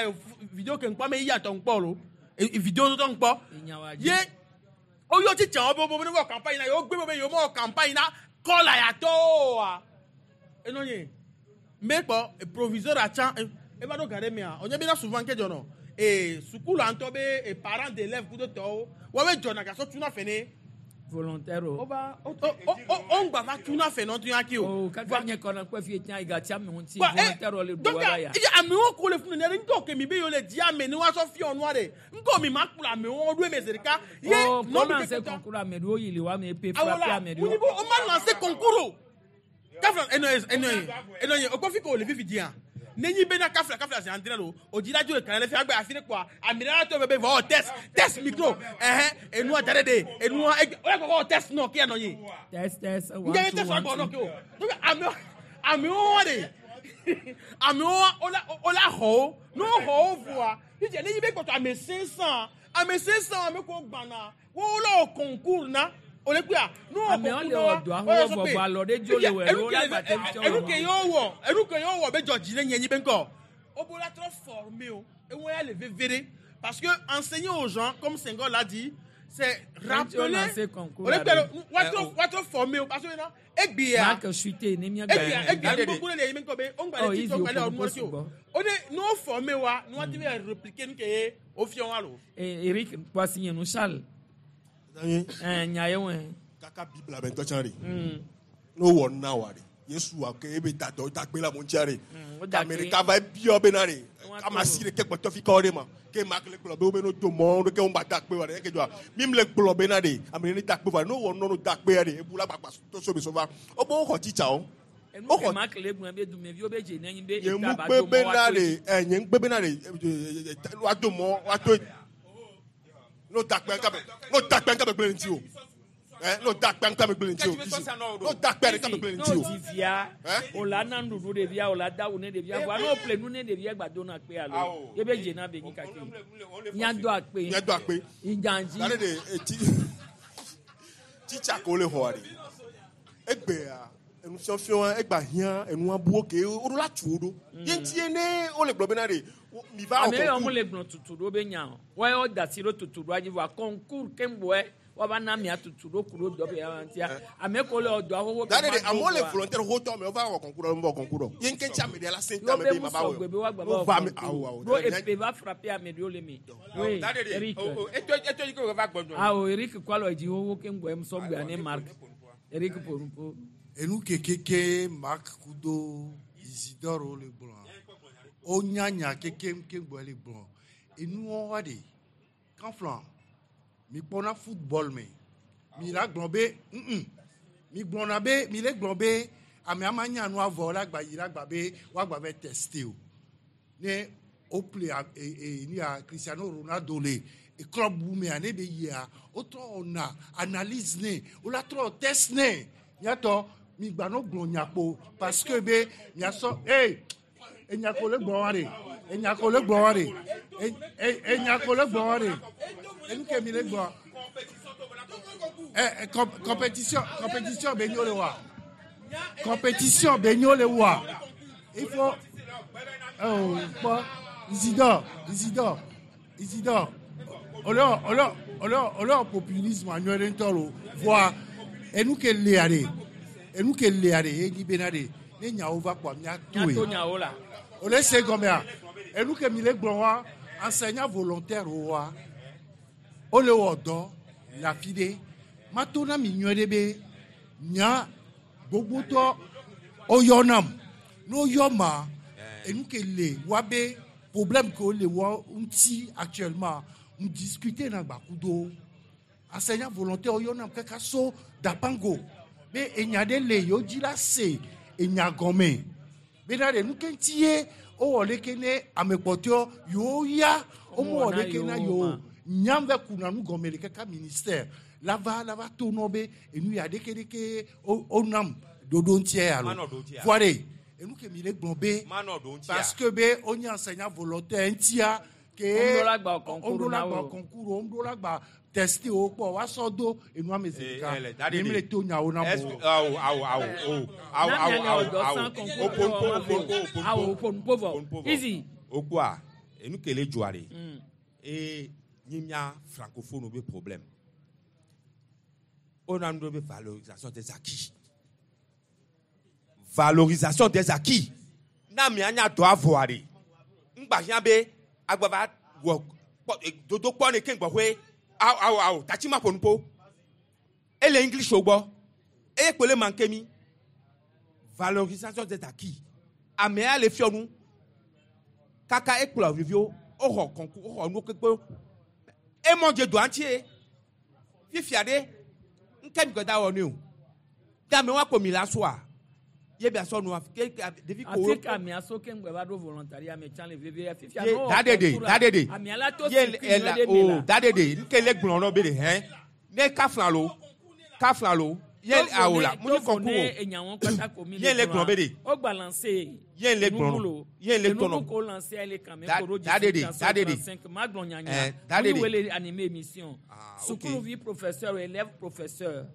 vidéo ke ŋkpɔ ame ya tɔ ŋkpɔ lo. Vidéo tɔ ŋkpɔ. Ye oyɔ tsitsa wo be wo ne wɔ campagne na yewo gbe be yewo mewɔ campagne na kɔla ya tɔwo oa. Enɔ nye mbe kpɔ proviseur atsa eva ɖo ga ɖe mea onye bena souvent ke dzɔnɔ ee sukulu ŋutɔ be e parents d'élèves kudo tɔwo woawoe dzɔna gasɔ tuna fɛ ne. Volontaire o. Ova o o o o ŋgba va tuna fɛ nɔ tun ya ki o. O kaka nye kɔnɔ kpɛ fi tia iga tia mi ŋuti Wa, eh, volontaire o le donc do wa ya. eye amewo ko le funu ne ŋkɔ ke mi be yewo le di ame ne woasɔ fiɔ nua ɖe ŋkɔ mi ma kplɔ amewo ɖo eme zi ɖeka. Ye O nɔvi kɔnɔ ke se keta- concours ame ɖewo yi le wa me pe awola frappe ame wunyi ɖewo. bo o ma lancer concours o kafla enɔ ye enɔ ye enɔ ye o kɔ fi ko o le fifi dia ne nyi bena kafla kafla zi andre lo o dzi la dzo le kan le fi agbe afi ɖe kpoa ami ɖe la tɔ be be vɔ test test micro ɛhɛn enua da ɖe de enua egbe o ya kɔkɔ wɔ test nɔ kia nɔ nyi Test test n one jɛ two test one agbɔ nɔ two. ke o donc amewo amewo wa de amewo wa o la o la xɔ wo ne wo xɔ wo voa fifia ne nyi be kpɔtɔ ame 500 ame 500 ame ko gbana wo la wɔ concours na o le kpea ne wɔ Amewo concours le na wa wɔ dɔa wo yɔ ho sɔ vɔ pe vɔ alɔ ɖe dzo le wɔ enu elo la gba te ke tsɔ enu wɔ. ke yewo wɔ enu ke yewo wɔ be dzɔ dzi ne nye nyi be ŋkɔ o bo la trɔ former o ewo ya le veve ɖe parce que enseigner aux gens comme Senghor l'a dit c'est Ŋutsu rappeler lancer concours o le la kpea ɖe. wa trɔ former o parce que na egbea Marc Chuté ne mia egbea egbea nu gbogbo ɖe le yi me ŋkɔ be o ŋgba Oh, le easy, tsi tɔ ŋgba le o ɔnu si o sugbɔ. o de n'o former wa n'o ti bɛ répliquer nu ke ye o fiɔ wa lo. Eric Kwasi nye nu Charles. Ɛn nya ye wɛ. Kaka Biblia be ŋutɔ tsã ɖe. Ne wowɔ na wa ɖe Yesu wa ke ebe da dɔ da gbe le amewo ŋutia ɖe. o da Ame gbe. ɖeka va biɔ bena ɖe ame asi ɖeke kpɔtɔ fi kɔ ɖe ma ke ma le gblɔ be wo be no do mɔ ɖeke wo ŋgba da kpe wa ɖe eke dzɔa mi le gblɔ bena ɖe ame ɖe ne da kpe va ne wowɔ nɔnu da kpea ɖe ebu la gbagba to so be so va wo be woxɔ tsitsawo. Enu Wo ke xɔ Marc le gblɔ be dumeviwo be dze ne nyi be nye eta mu ba gbe do mɔ bena wa to ɖe ɛ nye ŋugbe bena ɖe woado mɔ woato n'o da kpe ŋka be n'o da kpe ŋka be gblẽ le ŋuti o ɛ n'o da kpe ŋka be gblẽ le ŋuti o n'o da kpe ɖe ŋka be gblẽ le ŋuti N'o o. dzi via o la na nuɖuɖu ɖevia o la da awu ne ɖevia vɔa n'o ƒle nu ne ɖevia gba do na kpe alo ye be dze na be nyi kake. Mia do akpe. Mia do akpe. Idzanji. Gale ɖe etsi tsitsa ko le xɔa ɖe egbea enufiɔfiɔ egba hiã enua buwo ke woɖo la tu wo ɖo ye ŋuti ye ne wole gblɔ bena ɖe mi va wɔ Ame yawo concours. mu le gblɔ tutu ɖo be nya o. Wɔyɔ da si ɖo tutu ɖoa dzi vɔa concours keŋgbɔe woava na mia tutu ɖo ku ɖo dɔ be ya ŋutia. Ame ko le dɔa xoxo Da ɖe ɖe amewo le volontaire xɔtɔ amewo va wɔ concours ɖe wɔ concours ɖe ye ŋke ŋuti ame ɖe la se Yo ame be be mu ma va wɔ sɔgbe be woagba o va va wɔ ame awo awo concours. Ɖo epe va frappe ame ɖewo le me. Oui, Eric. eto yi ke wòva gbɔdɔ. Awo Eric kɔ alɔ dzi xoxo keŋgbɔe mu sɔgbe ane Marc. Eric Ponupo. Enu ke keke Marc kudo Isidore wo le gblɔa wonya nya keke ke gbɔ le gblɔ enuwo wa de kanflan mi kpɔna football me mi la gblɔ be mm mi gblɔna be mi le gblɔ be amea ma nya nua vɔ la gba yi la gba be woagba va tester o ne o ple a e e nu ya Cristiano Ronaldo le e club bu mea ne be yia wotrɔ wɔna analyse ne wola trɔ test ne miatɔ mi gba no gblɔ nyakpo parce que be miasɔ ee enyako le gblɔ wa de enyako le gblɔ wa de e e enyako le gblɔ wa de enu ke mi le gblɔ ɛ ɛ compétition compétition be nyo le wa compétition be nyo le wa il faut oh kpɔ Isidore Isidore Isidore olɔ olɔ olɔ olɔ populisme anyɔ ɖe ŋutɔ lo voa enu ke lea de enu ke lea de ye nyi bena de ne nyawo va kpɔa mía Mia to toe nyawo la. o le se gɔmea enu ke mi le gblɔ wa enseignant volontaire wa o le wɔ dɔ le afi ɖe mato na mi nyuie ɖe be nya gbogbotɔ woyɔnam ne woyɔ ma enu ke le wa be problème ke wole wa ŋuti actuellement n discuter na gbakudo enseignant volontaire woyɔnam kaka so dapango be enya ɖe le yewo dzi la se enya gɔme bena ɖe nu ke ŋuti ye wowɔ leke ne ame kpɔtɔewo yewo ya womewɔ leke na yewo nyam va kuna nu gɔme le kaka ministère lava lava to nɔ be enu ya ɖeke ɖeke wonam ɖoɖo ŋutia ya Manɔ lo ɖo ŋutia. voa ɖe enu ke mi le gblɔ be Manɔ ɖo ŋutia. parce que be wonye enseignant volontaire ŋutia ke Womeɖo la gba concours womeɖo la na gba wo. concours womeɖo la gba tester wo kpɔ woasɔ do enua me zi Eh, ɖeka eh, le da ɖe mi le ɖe. to nyawo na Est-ce mo. que- awo awo awo o awo Na awo mia le awo wɔ dɔ awo sans concours oponpo wɔ ma oponpo ve o. Awo oponpo vɔ. Easy. Okua Enu ke le dzɔa ɖe. Eye nyi mía francophone be problème. Wona nu ɖe be valorisation des acquis. Valorisation des acquis. Na mia nya dɔ avɔa ɖe. Ŋgba hiã be agbava wɔ kpɔ dodokpɔ ne ke gbɔƒe awo awo awo tatsi ma ƒo nuƒo. Ele English wo gbɔ. Eye kpo le manque mi. Valorisation des acquis. Amea le fiɔ nu. Kaka ekplɔ viviwo woxɔ concours woxɔ nuwo kpekpe. Emɔ dze doa ŋuti ye. Fifia ɖe ŋke mi gbeda wɔ nɛ o. Game wa ko mi la soa. Ye bia sɔ nua ke ɖevi ko. Afi ka mia so ke ŋgbe va ɖo volontariat me tsã le vevie fifia Ye no da ɖe ɖe da ɖe ɖe. Amea la to Ye circuit ela nyuie ɖe me o la. da ɖe ɖe ŋke le gblɔ nɔ be ɖe hɛn. Ne kafla lo kafla lo ye awo la mu ni Tovo concours ne o. enyawo kpata ko mi Ye le gblɔ be ɖe. O balancer. Ye le gblɔ Enugu lo. Ye le gblɔ Enugu ko lancer le kame Da ko ɖo da ɖe ɖe da ɖe ɖe. 35 ma gblɔ nyanya. Eh, da ɖe Mu ɖe. wele animer émission. Ah, ok. Sukuluvi professeur élève professeur.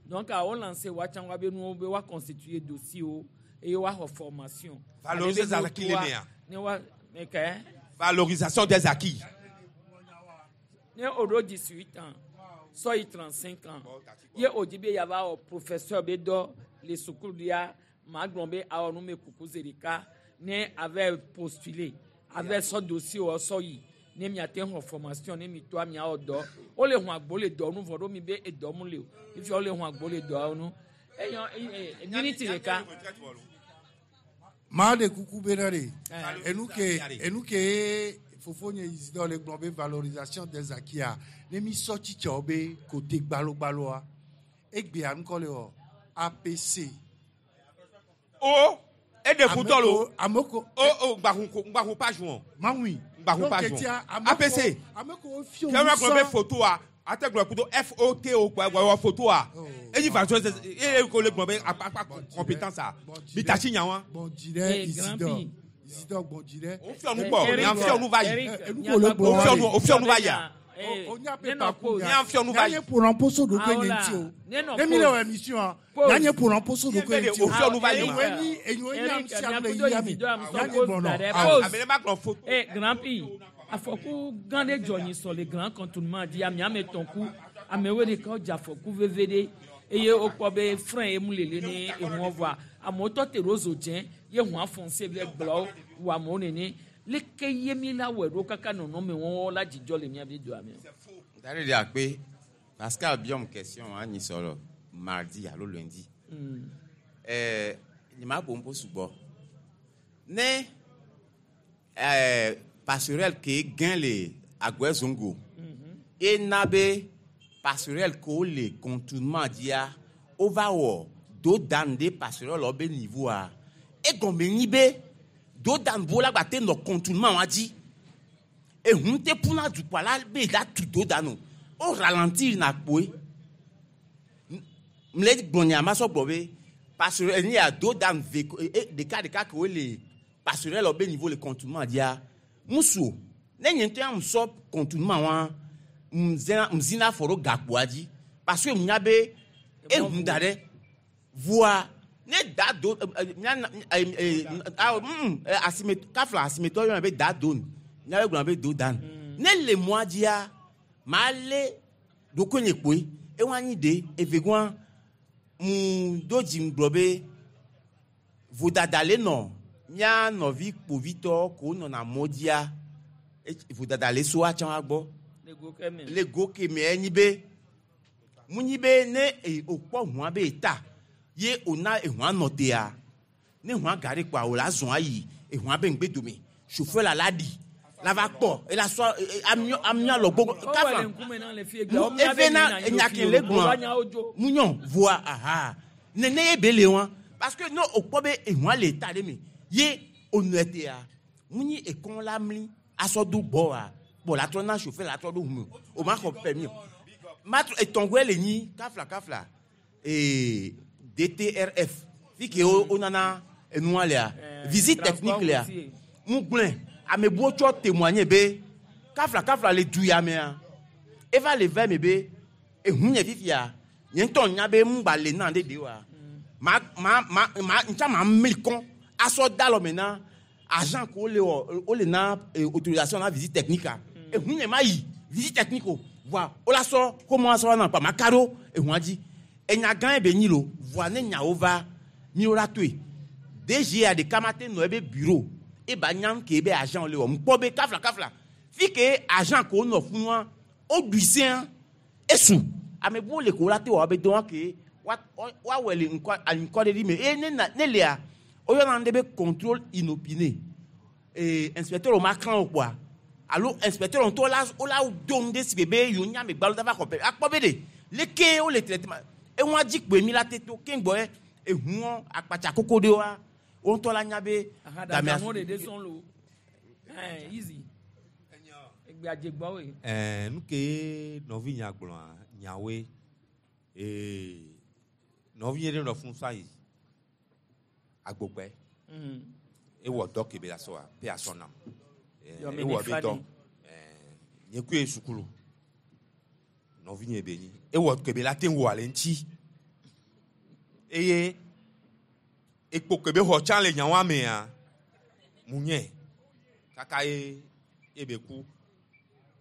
Donc a wo lancer wa tsã wa be nuwo be wa constituer dossier wo eye wa xɔ formation. Valoriser Ale be des acquis le nuwo mea. Ne wa ne ke. Valorisation des acquis. Ne o ɖo 18 ans sɔ yi 35 ans ye o di be yava wɔ professeur be dɔ le sukulu ma gblɔ be awɔ nu me kuku zi ɖeka ne ave postuler ave sɔ dossier wɔ sɔ yi ne miate xɔ formation ne mi toa miawɔ dɔ wole hun agbo le dɔ nu vɔ ɖo mi be edɔ mu le o fifia wole hun agbo le dɔawo nu eyɔ miniti ɖeka. Maa ɖe kuku bena ɖe. Eh. Enu ke enu ke fofonye Isidore le gblɔ be valorisation des acquis a ne mi sɔ tsitsɛwo be kote gbalogbaloa egbea ŋkɔ le wɔ APC. O eɖe futɔ lo. Ame ko O o ŋgbahun ko ŋgbahun page wɔn. Maŋui. Ŋgbahun Donc, page etia, wɔn. ame APC. ko ame ko fiɔ Kɛ wa gblɔ be nusɔ- photo a ate gblɔ kudo FOTO kpa wɔ photo a. Eyi valorisation des eye ko le gblɔ be akpa akpa compétence a. Mi tasi nya wa. Gbɔndzi ɖe Eh, grand Isidore. P. Isidore gbɔndzi ɖe. O fiɔ nu gbɔ nya fiɔ nu va yi. Eric, Enu ko le gblɔ O fiɔ nu o fiɔ nu va yia. O nya Ne pepa nɔ ku pause. Nya fiɔ nu va yi. Nya nye ƒonɔposo ɖokui Awo nye la, ŋuti o. ne nɔ Ne mi le pause. wɔ émission a, Pause. nya nye ƒonɔposo Ye ɖokui be nye de ŋuti o. o fiɔ nu va yi ma. Enyoe nyi enyoe nyi Eric, ame sia ame le miakudo yia me. Isidore amusɔ Nya nye pause gbɔnɔ. da ɖe. Awo. Pause. Ame ɖe ma gblɔ photo. Eh, grand P, afɔku gã ɖe dzɔ nyi sɔ le grand cantonnement dzi ame ame etɔ̃ ku amewo ɖeka wodze afɔku veve ɖe eye wokpɔ be frein ye mu lele ne ehuɔ vɔa amewo tɔ te ɖo zo dze ye hũa foncé vɛ gblɔ wɔ amewo nene leke ye mi la wɔe ɖo kaka nɔnɔme wɔwɔ la dzidzɔ le miabe doa me. Da ɖe ɖe akpe Pascal biɔm question anyi sɔrɔ mardi alo lundi. Ɛɛ nye ma ƒo ŋpo sugbɔ. Ne ɛɛ passerelle ke gã le Agɔɛ Zongo. Ena be passerelle ke le contournement dzia wova wɔ do dan ɖe passerelle be niveau a egɔme nyi be do dan bo la gba te nɔ contournement wa dzi. Ehun te ƒuna dukɔa la be da tu do dan o. O ralentir na kpoe. Mle gblɔ nya ma sɔ gblɔ be passerelle ni ya do dan ve ko e ɖeka ɖeka ke wole passerelle be niveau le contournement dzia ŋutsu o ne nye ŋutɔ ya ŋusɔ contournement wa ŋzena ŋzina afɔ ɖo gakpoa dzi parce que ŋunya be ehun da ɖe voa ne da do ɛ ɛ miana ɛ ɛ awo ɛ asime kafla asimetɔ yɔna be da do nu miabe gblɔna be do dan ne le mɔa dzia maa lé ɖokuinye kpoe ewa nyi ɖe evegɔa mu do dzi ŋgblɔ be vodada le nɔ mía nɔvi kpovitɔ ko nɔna mɔ dzia vodada le so atsã wa gbɔ Le go ke me. le go ke me enyi be mu nyi be ne e okpɔ hũa be eta ye ona ehũa nɔ tea ne hũa ga ɖe kpoa o la zɔn ayi ehũa be ŋgbe dome chauffeur la la ɖi la va kpɔ ela sɔ amiɔ amiɔ alɔ gbogbo Owɔ le kafla ŋkume na le fie mu gbe. eve na enya ke le gblɔa mu nyɔ voa aha nene ye be le wa parce que ne o kpɔ be ehũa le ta ɖe me ye onɔe tea mu nyi ekɔn la mli asɔ do gbɔ wa kpɔ la trɔ na chauffeur la trɔ ɖo ʋu me o ma xɔ permis o ma trɔ etɔ̃goe le nyi kafla kafla ee DTRF fi ke wo wonana enua lea visite transport technique lea routier. mu gblɔe ame buwo tsɔ témoigner be kafla kafla le du ya mea eva le vɛ me be ehu nye fifia nye ŋutɔ nya be mu gba le na ɖe de wa ma ma ma ma ntsa ma mli kɔn asɔ da lɔ me na Agent ko le wɔ o le na autorisation na visite technique a. Ehun nye ma yi visite technique o. Voa o la sɔ ko mo asɔ na pa ma ka ɖo ehua dzi. Enya gã ye be nyi lo. Voa ne nyawo va mi wo la toe. DG a ɖeka ma te nɔ ebe bureau. E ba nya ke be agent le wɔ. Mkpɔ be kafla kafla. Fi ke agent ko nɔ funua o ɖui sẽa esu. Ame buwo le ko la te wɔ be dɔn ke wa wa wɔ le ŋkɔ ŋkɔ ɖe ɖi me. Eye ne na ne lea woyɔna nu ɖe be contrôle inopiné. Ee inspecteur ma xlã wo kpoa alo inspecteur ŋutɔ la wo la do nu ɖe si be be yewo nye amegbalo da va xɔ pe akpɔ be ɖe leke wo le traitement eŋua dzi kpoe mi la te to keŋgbɔ ye ehuɔ akpatsa koko ɖewoa wo ŋutɔ la nya be gamea Ahadadanuwo ɖeɖe sɔŋ lo. Ɛn easy. Egbe adze gbɔ woe. Ɛɛ nu ke nɔvinya gblɔa nyawoe ee nɔvinye ɖe nɔ fún fa yi agbogbe ewɔ dɔ ke be la sɔa pe asɔ nam. Ewɔ be dɔ nye kue sukulu nɔvinye be nyi ewɔ ke be la te wɔ ale ŋuti eye ekpo ke be xɔ tsã le nyawoa mea mu nye kaka ye ebe ku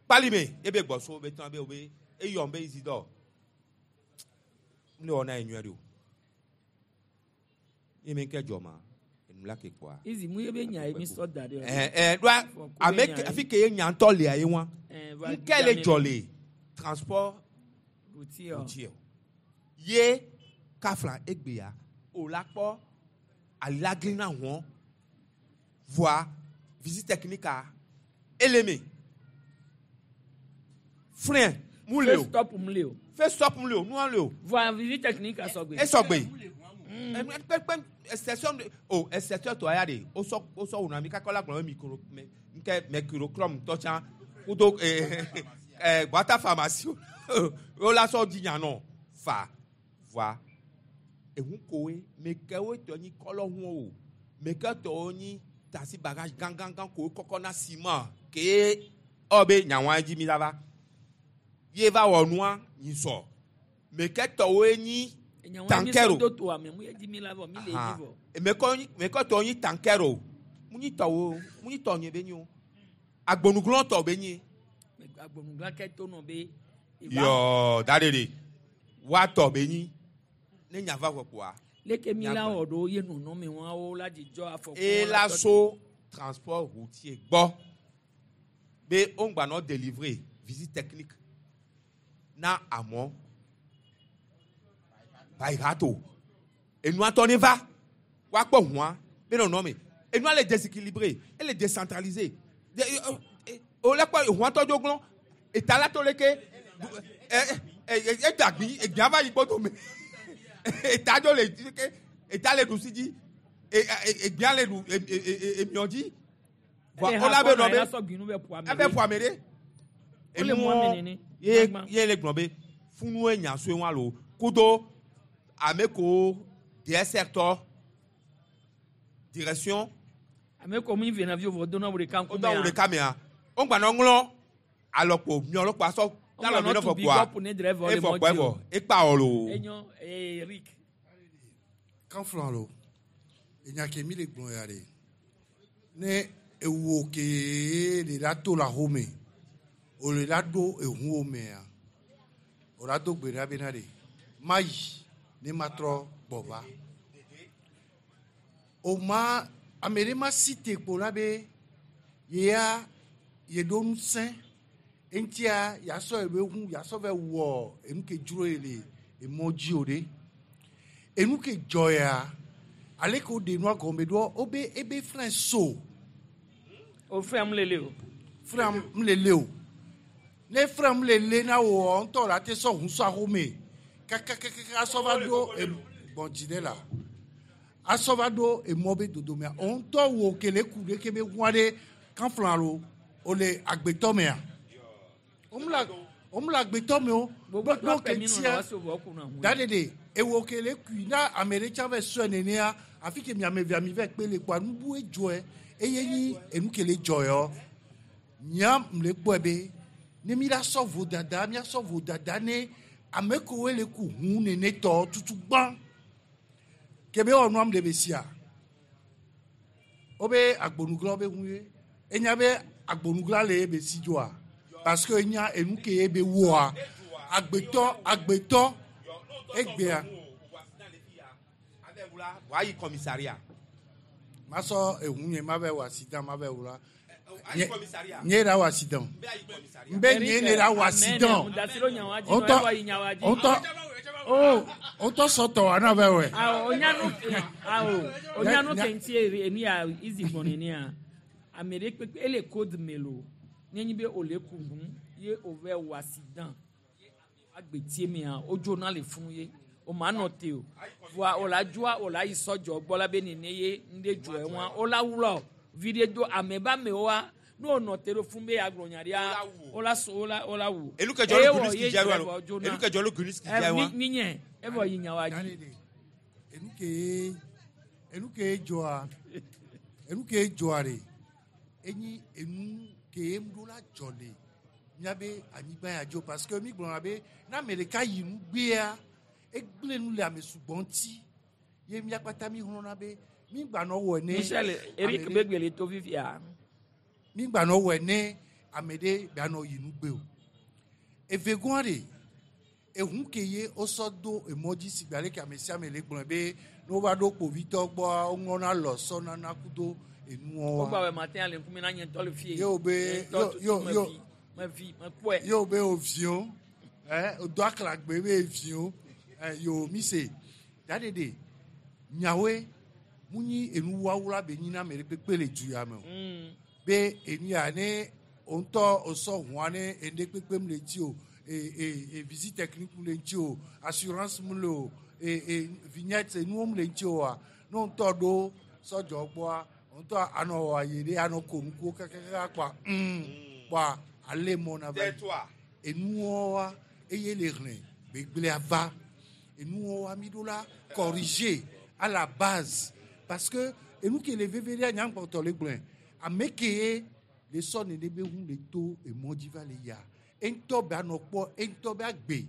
kpalime ebe gbɔso be tɔn be wo be eyɔm be Isidore ne wɔ na ye nyuie ɖe o ye me ke dzɔ ma enu la ke kpɔa. Easy mu ye be nya ye mi sɔ da ɖe. Ɛɛ ɛɛ ɖoa ame ke afi ke ye nya ŋutɔ lia ye wa nke le dzɔ le transport routier routier ye kafla egbea o la kpɔ alagli na hɔn voa visite technique a ele me frein mu le o First stop mu le o. First stop mu le o nua le o. Voa visite technique a sɔgbe. Esɔgbe. Kpekpe exception o exception tɔ ya de o sɔ o sɔ wuna mi kakɔ la gblɔ be micro mɛ nke mercurochrome tɔ tsã kudo ee ɛ guata pharmacie o la sɔ dzi nya nɔ fa voa ehu koe meke wo tɔ nyi kɔlɔ hu o meke tɔwo nyi taxi bagage gãgãgã koe kɔkɔ na ciment ke ɔ be nyawoa dzi mi la va ye va wɔ nua nyi sɔ meke tɔwoe nyi tankero Do to ame mu ye dzi mi la vɔ mi le dzi vɔ. mekɔ tɔwo nyi tankero mu nyi tɔwo mu nyi tɔ nye be nyi o agbonuglɔ tɔ be nyi. Agbonugla ke to nɔ be. Yɔ da ɖe ɖe woatɔ be nyi ne nya va vɔ kpoa. Leke mi la wɔ ɖo ye nɔnɔme wɔwo la dzidzɔ afɔku. E la so transport routier gbɔ be wo ŋgba nɔ délivrer visite technique na amɔ bayihato enua tɔ ne va woakpɔ hũa be nɔnɔme enua le déséquilibré ele décentralisé o le kpɔ hũa tɔ dzo glɔ̃ eta la to leke ɛ ɛ edagbi egbia va yi gbɔdo me eta dzo le ke eta le ɖusi dzi egbia le ɖu emiɔ dzi Ele o la be nɔ be ha kɔ na ebe ƒo ame ebe ƒo ame ɖe Wole mu ame nene. ye ye le gblɔ be funue nya sue wa lo kudo ame ko DSR tɔ direction Ame ko mi vena vi vɔ dona wo ɖeka o dɔn wo ɖeka mea o gba nɔ ŋlɔ alɔkpo miɔlɔkpo asɔ Ŋgba alɔ mi nɔ nɔ tu fɔ big kpoa up ne driver le efɔ mɔ kpɔ dzi evɔ o. ekpa wɔ lo. Enyo ee Eric. Kanflan lo enya ke mi le gblɔ ya ɖe ne ewo ke le la to le axome o le la ɖo ehuwo mea o la do gbe ɖa bena ɖe ma yi ne ma trɔ gbɔ va o ma ame ɖe ma si te kpo la be yea ye ɖo ŋusẽ eŋutia yasɔ ebe ʋu yasɔ vɛ wɔ enu ke dzro ye le emɔ dzi o ɖe enu ke dzɔ ya ale ke woɖe nua gɔme ɖoa wobe ebe frein so. O frein mu lele o. Frein mu lele o ne frein mu lele na wò ŋutɔ la te sɔ ʋu sɔ axome kakakaka asɔ va ɖo gbɔndzi ɖe la asɔ va ɖo emɔ be dodomea o ŋutɔ wo ke le ku ɖe ke be ʋua ɖe kanflan lo o le agbetɔ mea o mu le o mu le agbetɔ me o Gbogbo ɖo ke ke mi nɔ na tia wa so vɔ ku na hu. da ɖeɖe ewo ke le kui na ame ɖe tsã vɛ sɔe nenea afi ke mi ame evea mi vɛ kpe le kpoa nubu edzɔe eye nyi enu ke le dzɔ yɔ nyia m le kpɔe be ne mi la sɔ vodada miasɔ vodada ne ame kewoe le ku ʋu nene tɔ tutu gbã ke be wɔ nua m le be sia Wobe agbonuglawo be ŋu ye. Enya be agbonugla le ye be si dzoa. Parce que enya enu ke ye be wɔa. Agbetɔ agbetɔ egbea. Wàá commissariat. Masɔ ehu nye ma bɛ wɔ accident ma bɛ wla. Ayi commissariat. Nye la wɔ accident. Nbɛ nye ne la wɔ accident. Ŋutɔ ŋutɔ oh ŋutɔ sɔtɔ wa na bɛ wɛ. Awo onyanu awo onyanu kenti enu ya izi gbɔn nenia ame ɖe kpekpe ele code me lo nenyi be ole ku ŋu ye o vɛ wɔ accident agbetie mea wodzona le funu ye o ma nɔ te o voa o la dzoa o la yi sɔdzɔ gbɔ la be nene ye ŋɖe dzɔ eŋua o la wlɔ vi ɖe do ame ba amewoa ne o nɔ te ɖo funu be agblɔ nya ɖia o la so o la o la wu. Elu ke dzɔ le Guniski dza wa lo. Elu ke dzɔ le Guniski dza wa. Mi nye evɔ yi nya wa dzi. Enu ke enu ke dzɔa enu ke dzɔa ɖe enyi enu ke ŋɖo la dzɔ le míabe anyigba ya dzo parce que mi gblɔna be ne ame ɖeka yi nu gbea egblẽ nu le ame sugbɔ ŋuti ye mía kpata mi xlɔ̃na be mi gbanɔ wɔ ne. Michel Eric ame ɖe- Begbele to fifia. mi gbanɔ wɔ ne ame ɖe gbanɔ yi nu gbe o evegɔa ɖe ehu ke ye wosɔ do emɔ dzi si gbe ale ke ame sia ame le gblɔe be ne wova ɖo kpovitɔ gbɔa woŋlɔna lɔ sɔnana kudo enuwo Wogba wa wɔ matin ale ŋkume na nye ŋutɔ le fie. Yo be- Nye ŋutɔ yo- tutu yo- me yo. vi, me vi me kpɔe. ye wo be wo viwo ɛ wodo aklagbe be viwo ɛ yo mi se daɖeɖe nyawoe mu nyi enuwawula be nyi na ame ɖe kpekpe le du ya me o be enu ya ne wo ŋutɔ wosɔ hũa ne enu ɖe kpekpe mu le ŋuti o e e e visite technique mu le ŋuti o assurance mu le o e e vignette enuwo mu le ŋuti oa ne wo ŋutɔ ɖo sɔdzɔ gbɔa wo ŋutɔ anɔ wɔ ayi ɖe anɔ ko nukuwo kakaka kpa kpa ale mɔ na va yi enuwo wa eye le hlẽ gbegblẽa va enuwo wa mi ɖo la corriger à la base parce que enu ke le veve ɖe nyankpɔtɔ le gblɔe ame ke ye le sɔ nene be ŋu le to emɔ dzi va le yia eŋutɔ be anɔ kpɔ eŋutɔ be agbe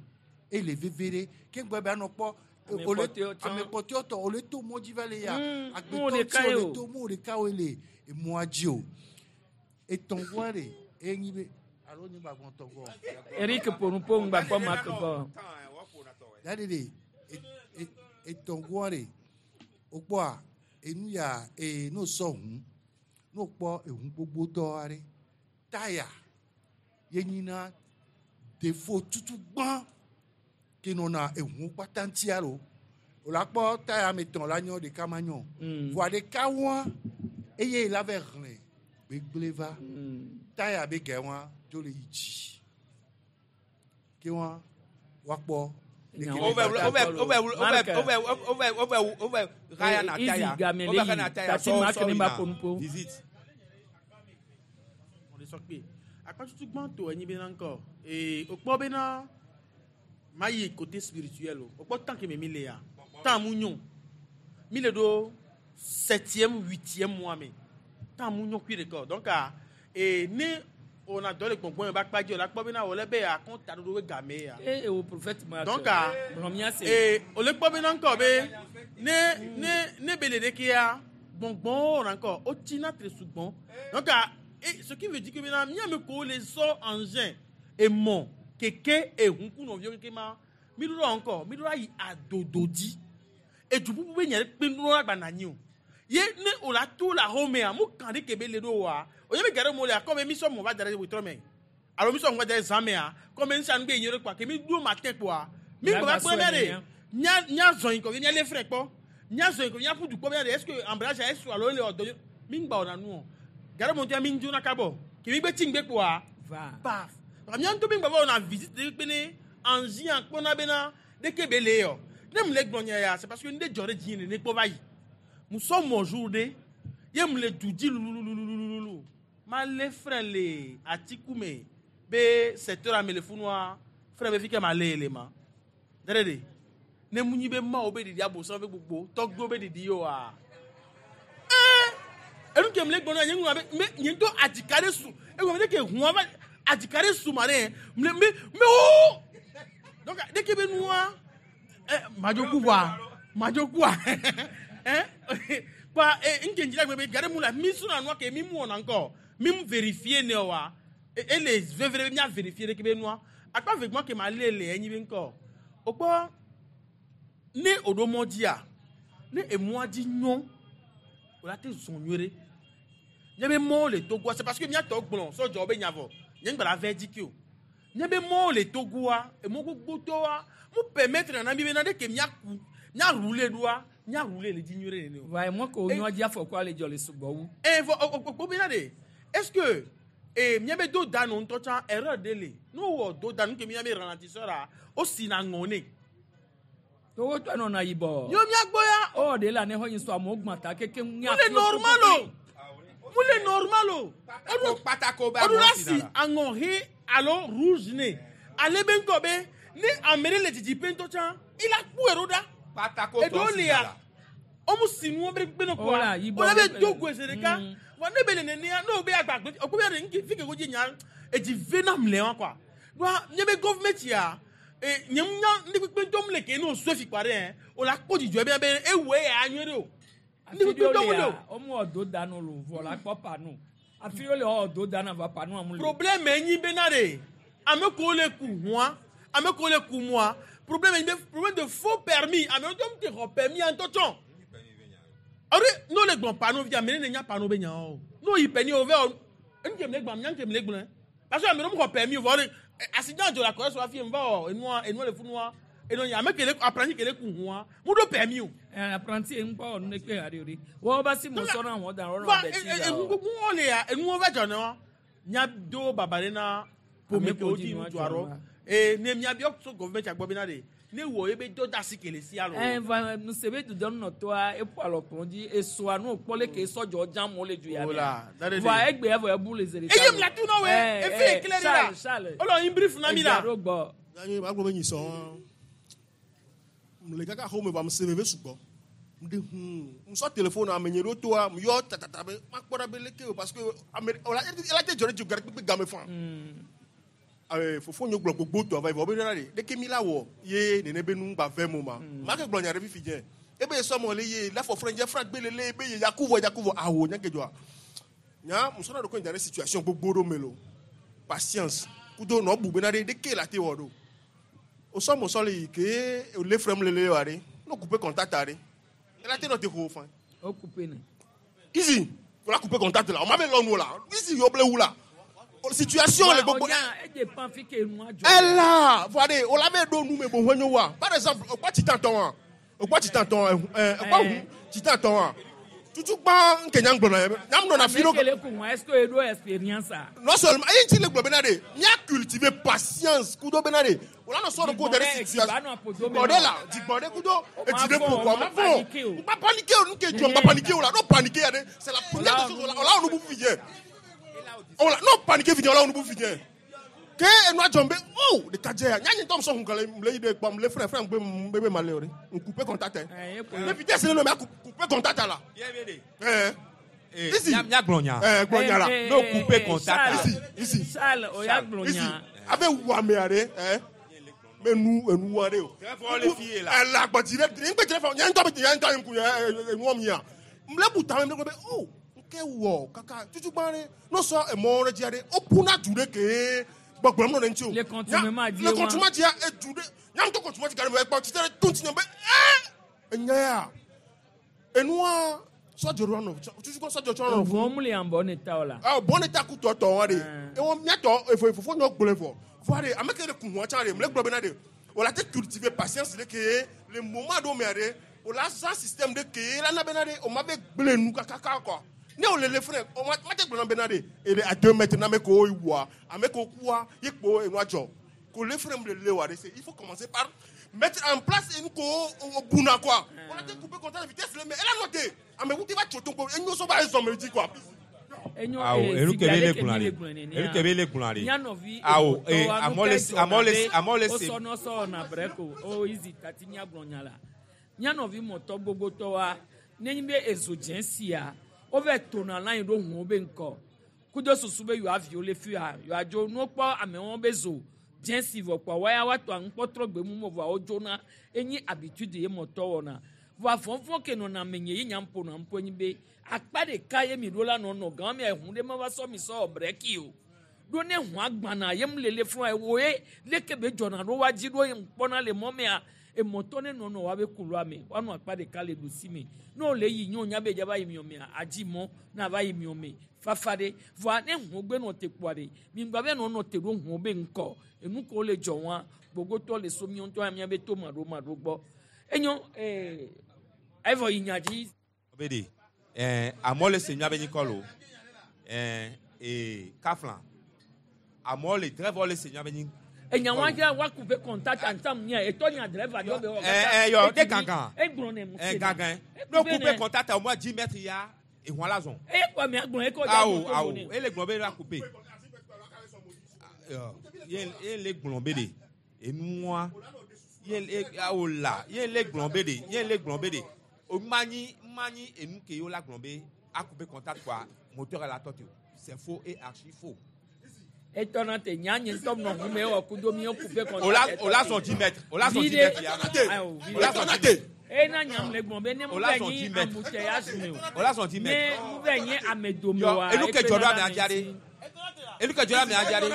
ele veve ɖe ke ŋgbɛ be anɔ kpɔ Ame ole- kpɔtɔewo tsã. ame kpɔtɔewo tɔ ole to mɔ dzi va le yia mu agbetɔ ɖeka tsi ye ole o. to mu ɖeka woe le emɔa dzi o etɔ̃goa ɖe enyi be alo nye gbagbɔ tɔgɔ Eric ponupo ŋgba kpɔ Mark gbɔ. Daddy de etɔ̃goa ɖe wokpɔa enu ya ee ne wosɔ ʋu ne wokpɔ eʋu gbogbotɔ aɖe taya ye nyina defo tutu gbã ke nɔna eʋu kpata ŋutia lo wòle akpɔ taya ame etɔ̃ la nyɔ ɖeka ma nyɔ voa ɖeka wɔa eye la va hlẽ gbegblẽ va taya be gɛ wɔa dzo le yi dzi ke wɔa woakpɔ Ove haya na Easy taya. game le Ove yi. na taya Tati sɔ Mark sɔ ne yi ba na ponupo. visite. Mo le sɔ kpe. Akpa tutu gbãtɔ enyi bena ŋkɔ. Ee, wokpɔ bena ma yi côté spirituel o. Wokpɔ tant que me mi le ya. Tant mu nyo. Mi le ɖo septième, huitième mois me. Tant mu nyo kui ɖeka o. Donc ah, ee, ne wòna dɔ le gbɔngbɔn me be akpa dzi o la kpɔ bena wòle be akɔnta ɖoɖo be game ya. E wo prophète Mark. Donc ah, Gblɔ mía se. ee, wòle kpɔ bena ŋkɔ be ne ne ne be le ɖekea gbɔngbɔnwo wɔna ŋkɔ wotsina tre sugbɔn. Donc ah, et ce qui veut dire que bena míame ko le sɔ engin emɔ keke ehun ku nɔviwo keke ma mi ɖo la ŋkɔ mi ɖo la yi adodo dzi edu bubu be nya ɖe kpe nu la gbana anyi o ye ne o la to le axɔmea mu kan ɖe ke be le ɖo wa o ye be ga ɖe mo le akɔ be mi sɔ mɔ va da ɖe wetrɔ me alo mi sɔ mɔ va da ɖe zã mea kɔ be nusia nu be nyi ɖe kpoa ke mi ɖo matin kpoa mi Mia gbɔ va gba kpɔ sɔe mia ɖe nenia. mia mia zɔn yi kɔ mia lé frɛ kpɔ mia zɔn yi kɔ mia ƒu du kpɔ mia ɖe est ce que embrayage est ce alo ele ɔdɔ mi ŋgba wɔna nu o ga ɖe mo ŋutɔ mi ŋdzo na kabɔ ke mi gbe tsi ŋgbe kpoa Va. paf donc mia ŋutɔ mi ŋgba va wɔna visite ɖe kpe ne anzi akpɔna bena ɖeke be le yɔ ne mu le gblɔ nya ya c'est parce que ne dzɔ ɖe dzi nene kpɔ va yi musɔ mɔ jour ɖe ye mu le du dzi lulululululu ma lé frɛ le atiku me be secteur ame le funua frɛ be fi ke ma lé le ma ɖe ɖe ne mu nyi be mawo be ɖiɖi abosam be gbogbo tɔgbewo be ɖiɖi yewoa ee enu ke mu le gbɔ na nye ŋu abe me nye ŋutɔ adzika ɖe su egɔme ɖe ke hũa va adzika ɖe su ma ɖe me me me wo donc ɖe ke be nua ɛ madzoku wa madzokua ɛ Kpa e nke njira gbe be gare mu la mi suna nua ke mi mu wɔna ŋkɔ mi mu vérifier ne wa ele vevere be mia vérifier ɖe ke be nua akpa vegbɔn ke ma le le enyi be ŋkɔ o kpɔ ne o ɖo mɔ dzia ne emɔa dzi nyɔ o la te zɔn nyuie ɖe nye be mɔwo le Togoa c'est parce que miatɔ gblɔ sɔdzɔ be nya vɔ nye ŋgba la vɛ dzi ke o nye be mɔwo le Togoa emɔ gbogbotɔwoa mu permettre nana mi be na ɖe ke miaku mia rouler ɖoa mia rouler le dzi nyuie ɖe nene o. Va emɔ ke wonyɔ dzi afɔkua le dzɔ le sugbɔ wu. E vɔ o o o bena de est-ce que e mia be do da no ŋutɔ tsã erreur ɖe le ne wowɔ do da nu ke mia be ralentisseur a o si na ŋɔ ne. Togo tɔ nɔna yibɔ. Yo mia gbɔ ya. Ɔ de la ne xɔ nyi sɔ amewo gbã ta keke mu le normal o mu le normal o. Patako ba o la si aŋɔ he alo rouge ne ale be ŋkɔ be ne ame ɖe le didiƒe ŋutɔ tsã il a ku ero ɖa. Patako eɖewo tɔ si lia la. womu si nuwo be gbe no Ola, kɔa yibɔ wòle be be- do goe zi ɖeka vɔ ne be le nenea ne wo be agba gbe okpe be ɖe ŋke fi ke ko dzi nya edzi ve nam le wa kɔa ɖoa nye be gɔvmɛnt ya e nye ŋu nya ŋdi kpekpe ŋutɔ mu le ke ne o sue fi kpa ɖe yɛ o la kpɔ dzidzɔ be be ewoe ya nyuie ɖe o ŋdi kpekpe ŋutɔ mu le o. Womu wɔ do da no lo vɔ la kpɔ panu. Afi ɖewo le wɔ do da na va panu amu le. Problème enyi bena ɖe ame kewo le ku hũa ame kewo le ku mua problème enyi be problème de faux permis ame ŋutɔ mu te xɔ permis ya ŋutɔ tsɔ ɔɖe n'o le gblɔ panneau via ame ɖe ne nya panneau be nyawo o n'o yi permis o vɛ o enu ke mi le gblɔ nya ke mi le gblɔe parce que ame ɖewo mu xɔ permis o vɔ ɔɖe accident dzɔ le akɔrɛ so hafi va wɔ enua enua le funua enɔ nya ame ke le apprenti ke le ku hũa mu ɖo permis o. Apprenti ye ŋkpɔ wɔ nu ɖe kpe haɖe o ɖe. Wɔwɔ ba si mo sɔ na wɔn da wɔn va na bɛ ti da enu o. gbogbo wɔn le ya enuwo va dzɔ ne wa nya do baba ɖe na ƒome Ame kewo kewo dzi dzi ŋutsu nua aɖɔ dzɔ ee ne miabiɔ so gɔvmɛnt agbɔ bena ɖe ne wɔ ebe dɔ da asi ke le sia lo. Ɛ va nuse be dudɔ nɔtɔa eƒo alɔ kplɔ dzi esoa nu kpɔ leke sɔdzɔ dzam wo le du ya Ola, da ɖe ɖe. Vɔa egbe evɔ ebu le zi ɖeka. Eye mla tu na woe, efi ekele ɖe la. Charles. Olɔ yin brief na mi la. Edzia ɖo gbɔ. Yanyi ma gblɔ be nyi sɔn. Le kaka xɔ me va me se veve sugbɔ. Mde hun. Musɔ téléphone ame nye ɖo toa mu yɔ tatata be ma kpɔ ɖa be leke o parce que ame o la ela te dzɔ ɖe dzi gari kpekpe game fan. Abe fofo nye gblɔ gbogbo tɔ va yi vɔ be ɖe ɖe leke mi la wɔ ye nene be nu gba vɛ mo ma. Ma ke gblɔ nya ɖe fifi dze. Ebe sɔmɔ le ye la fɔ frɛ dze fra gbe lele be ye yaku vɔ yaku vɔ awo nya ke dzɔa. Nya musɔ na ɖo ko nya ɖe situation gbogbo ɖo me lo. Patience. Kudo nɔ bu bena ɖe ɖeke la te wɔ ɖo. O sɔmɔ sɔ le yi ke o le frɛm lele wa ɖe. No couper contact ɖe. Ela te nɔ te xɔ fan. O couper ne. Easy. O la couper contact la. O ma be lɔ nu la. Easy yo ble wu la. O situation le gbogbo. Ɔnya e dépend fi ke nua dzɔ. Ela voa de o la be ɖo nu me bo ʋe nyo wa. Par exemple o kpɔ titan tɔ wa. O kpɔ titan tɔ ɛ ɛ o kpɔ hu titan tɔ wa. Tutu gbã nke nya gblɔ na yɛ. Nya nɔ na fi Ame ɖo. ke le ku ŋua est ce que eɖo expérience a? Non seulement eyi ŋuti le gblɔ bena de mía cultiver patience kudo bena de o la nɔ sɔ ɖo ko da ɖe situation dzigbɔ ɖe la dzigbɔ ɖe kudo edzi ɖe ƒo kɔ ma fɔ ŋgba paniquer o nu ke dzɔ ŋgba paniquer o la no paniquer ya ɖe c'est la première des choses o la o la wɔ nubu fi dze o la no paniquer fi dze o la wɔ nubu fi dze ke enua dzɔm be o ɖeka dze ya nya nye ŋutɔ sɔ hun kale le yi ɖe kpɔm le frɛ frɛ ŋgbe be ma le o ɖe n couper contact ne vitesse ne nɔ mia couper contact la ɛɛ. Easy. Mia gblɔ nya. Eh, gblɔ nya la. No couper contact. Easy, easy. Charles, o ya gblɔ Easy. nya. Abe wu ame aɖe, eh. Me nu enu wa ɖe o. le fi ye la. Ele agbɔdzi ɖe, ŋgbe dze fɔ, nye ŋutɔ be nye ŋutɔ ŋku enuɔ mia. Mle bu tame mle gblɔ be o, nke wɔ kaka tutugbã ɖe, no sɔ emɔ ɖe dzia ɖe, o ƒuna du ɖe kee gbɔgblɔm nɔ ɖe ŋuti o. Le contumace Le die wa. contumace dzia edu ɖe, nya ŋutɔ contumace ga ɖe me ekpɔ tsitre ɖe to ŋuti nye be ɛ enya ya. Enua sɔdzɔ ɖo nɔ tutugbã sɔdzɔ tsɔ nɔ. Ʋɔ mu le ambɔ ne ta o la. Ah, bon état ku tɔ tɔ wa de. Ewɔ miatɔ efo efofo nyɔ gblɔe vɔ. Vɔa de ame ke ɖe ku hɔn tsã de mle gblɔ bena de o la te cultiver patience de ke le moment ɖo mea de o la zã système de ke la na bena de o ma be gblẽ nu kakaka quoi. Ne o le le frɛ o ma ma te gblɔ na bena de e de à 2 mètres na ame kewo wua ame kewo kua ye kpo enua dzɔ. Ko le frɛ mu le le wa de c'est il faut commencer par mettre en place une ko o buna quoi. O la te couper contact vitesse le mais elle a noté. Ame wu te va tso to ko enyo so ba ezɔn me dzi quoi. Enyo Awo, enu ke be le gblɔ le ɖe. Enu ke be le gblɔ ɖe. Mía nɔvi Awo, emɔtɔ eh, wa, nu amewo le ke se- dzɔna amewo le be se- amewo le se- wosɔ nɔ sɔ na brɛ ko o easy tati mía gblɔ nya la. Mía nɔvi mɔtɔ gbogbotɔ wa, nenye be ezo dze sia, wova tona la yi ɖo ʋuwo be ŋkɔ. Kudo susu be yewoa viwo le fi ya, yewoa dzo nu wokpɔ amewo be zo dze si vɔ kpoa woya woatɔ aŋukpɔ trɔ gbe mumu vɔa wodzona. Enyi habitude ye mɔtɔ wɔna. Vɔa vɔvɔ ke nɔna amenye ye nya ƒona ŋku enyi be akpa ɖeka ye mi ɖo la nɔ nɔ gã mea ehu ɖe meva sɔ mi sɔ wɔ breki o. Ɖo ne hũa gbana ye mu lele fún ewo ye leke be dzɔna ɖo wa dzi ɖo ye ŋkpɔna le mɔ mea emɔtɔ ne nɔnɔ wa be kulu ame woanɔ akpa ɖeka le ɖusi me. Ne wòle yi nye wonya be dza va yi miɔ mea adzi mɔ ne ava yi miɔ me fafa ɖe. Vɔa ne hũ gbe nɔ te kpoa ɖe mi ŋgba be nɔ nɔ te ɖo hũ be ŋkɔ enu ko le dzɔ wa gbogbotɔ le so miɔ ŋutɔ ya be to maɖo maɖo gbɔ. Enyo ee evɔ yi nya dzi. Be de ɛɛ amewo le se mía be nyikɔ lo ɛɛ ee kafla amewo le driver le se mía be nyi. Enya wa dza wa couper contact ensemble nya etɔ nya driver dɔ be wɔ. Ɛɛ ɛɛ yɔ de gangan. Egblɔ ne mu Ɛɛ gangan. No couper contact au moins 10 mètres ya ehun la zɔn. Eye kɔ mi agblɔ ekɔ dza Awo moto awo ne. ele gblɔ be la couper. Yɔ ye ye le gblɔ be de enua ye le awo la ye le gblɔ be de ye le gblɔ be de o manyi manyi enu ke yo la gblɔ be a couper contact quoi moteur la tɔ te o c'est faux et archi faux. Etɔ na te nya nye ŋutɔ nɔ ʋu me wɔ kudo mi wo couper contact. O la zɔn 10 mètres o la zɔn 10 mètres ya. O la zɔn 10 mètres. E na nyam le gbɔn be ne mu O la bɛ zɔn nyi 10 mètres. embouteillage me o. O la zɔn 10 mètres. Ne mu bɛ nyi ame dome Yɔ wa. enu ke dzɔ ɖo ame adza ɖe enu ke dzɔ ɖo ame adza ɖe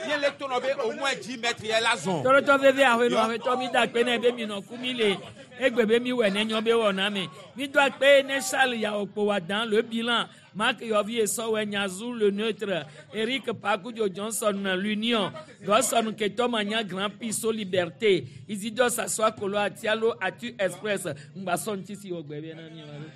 ye le to nɔ be au moins 10 mètres ya la zɔn. Tɔlɔtɔ veve ahoe nɔ Yɔ. ahoetɔ mi da akpe ne be mi nɔ ku mi le egbe be mi wɔ ne nyɔ be wɔ na me. Mi do akpe ne Charles yawo kpo wa dan le bilan Marc Yovi Esɔwɛ Nyazu le neutre Eric Pakudzo Johnson l'union Gɔsɔn Ketɔ Manya Grand Prix Liberté Isidore Sassoa Kolo Atialo Atu Express Ngbasɔ ŋuti si wɔ gbɛ bɛ na mi wa ɖo.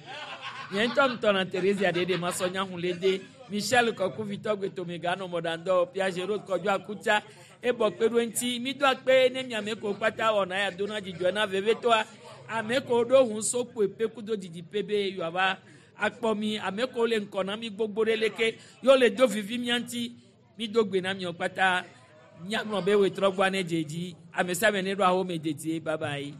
Nye ŋutɔ ŋutɔ na Theresia ɖeɖe masɔ nya hun le de Michel Kɔkuvitɔ Gbetomega nɔ mɔɖaŋdɔ Pia Géraud Kɔdzo Akutsa ebɔ kpe ɖo eŋuti mi do akpe ne miame ko kpata wɔna ya dona dzidzɔ na vevetoa ame ko ɖo hun so kpoe pe kudo didi pe be yewoava akpɔ mi ame ko le ŋkɔ na mi gbogbo ɖe leke yewo le do vivi mia ŋuti mi do gbe na miɔ kpata miagblɔ be wetrɔ gbɔ ne dze dzi ame sia ame ne ɖo ahome dedie bye bye.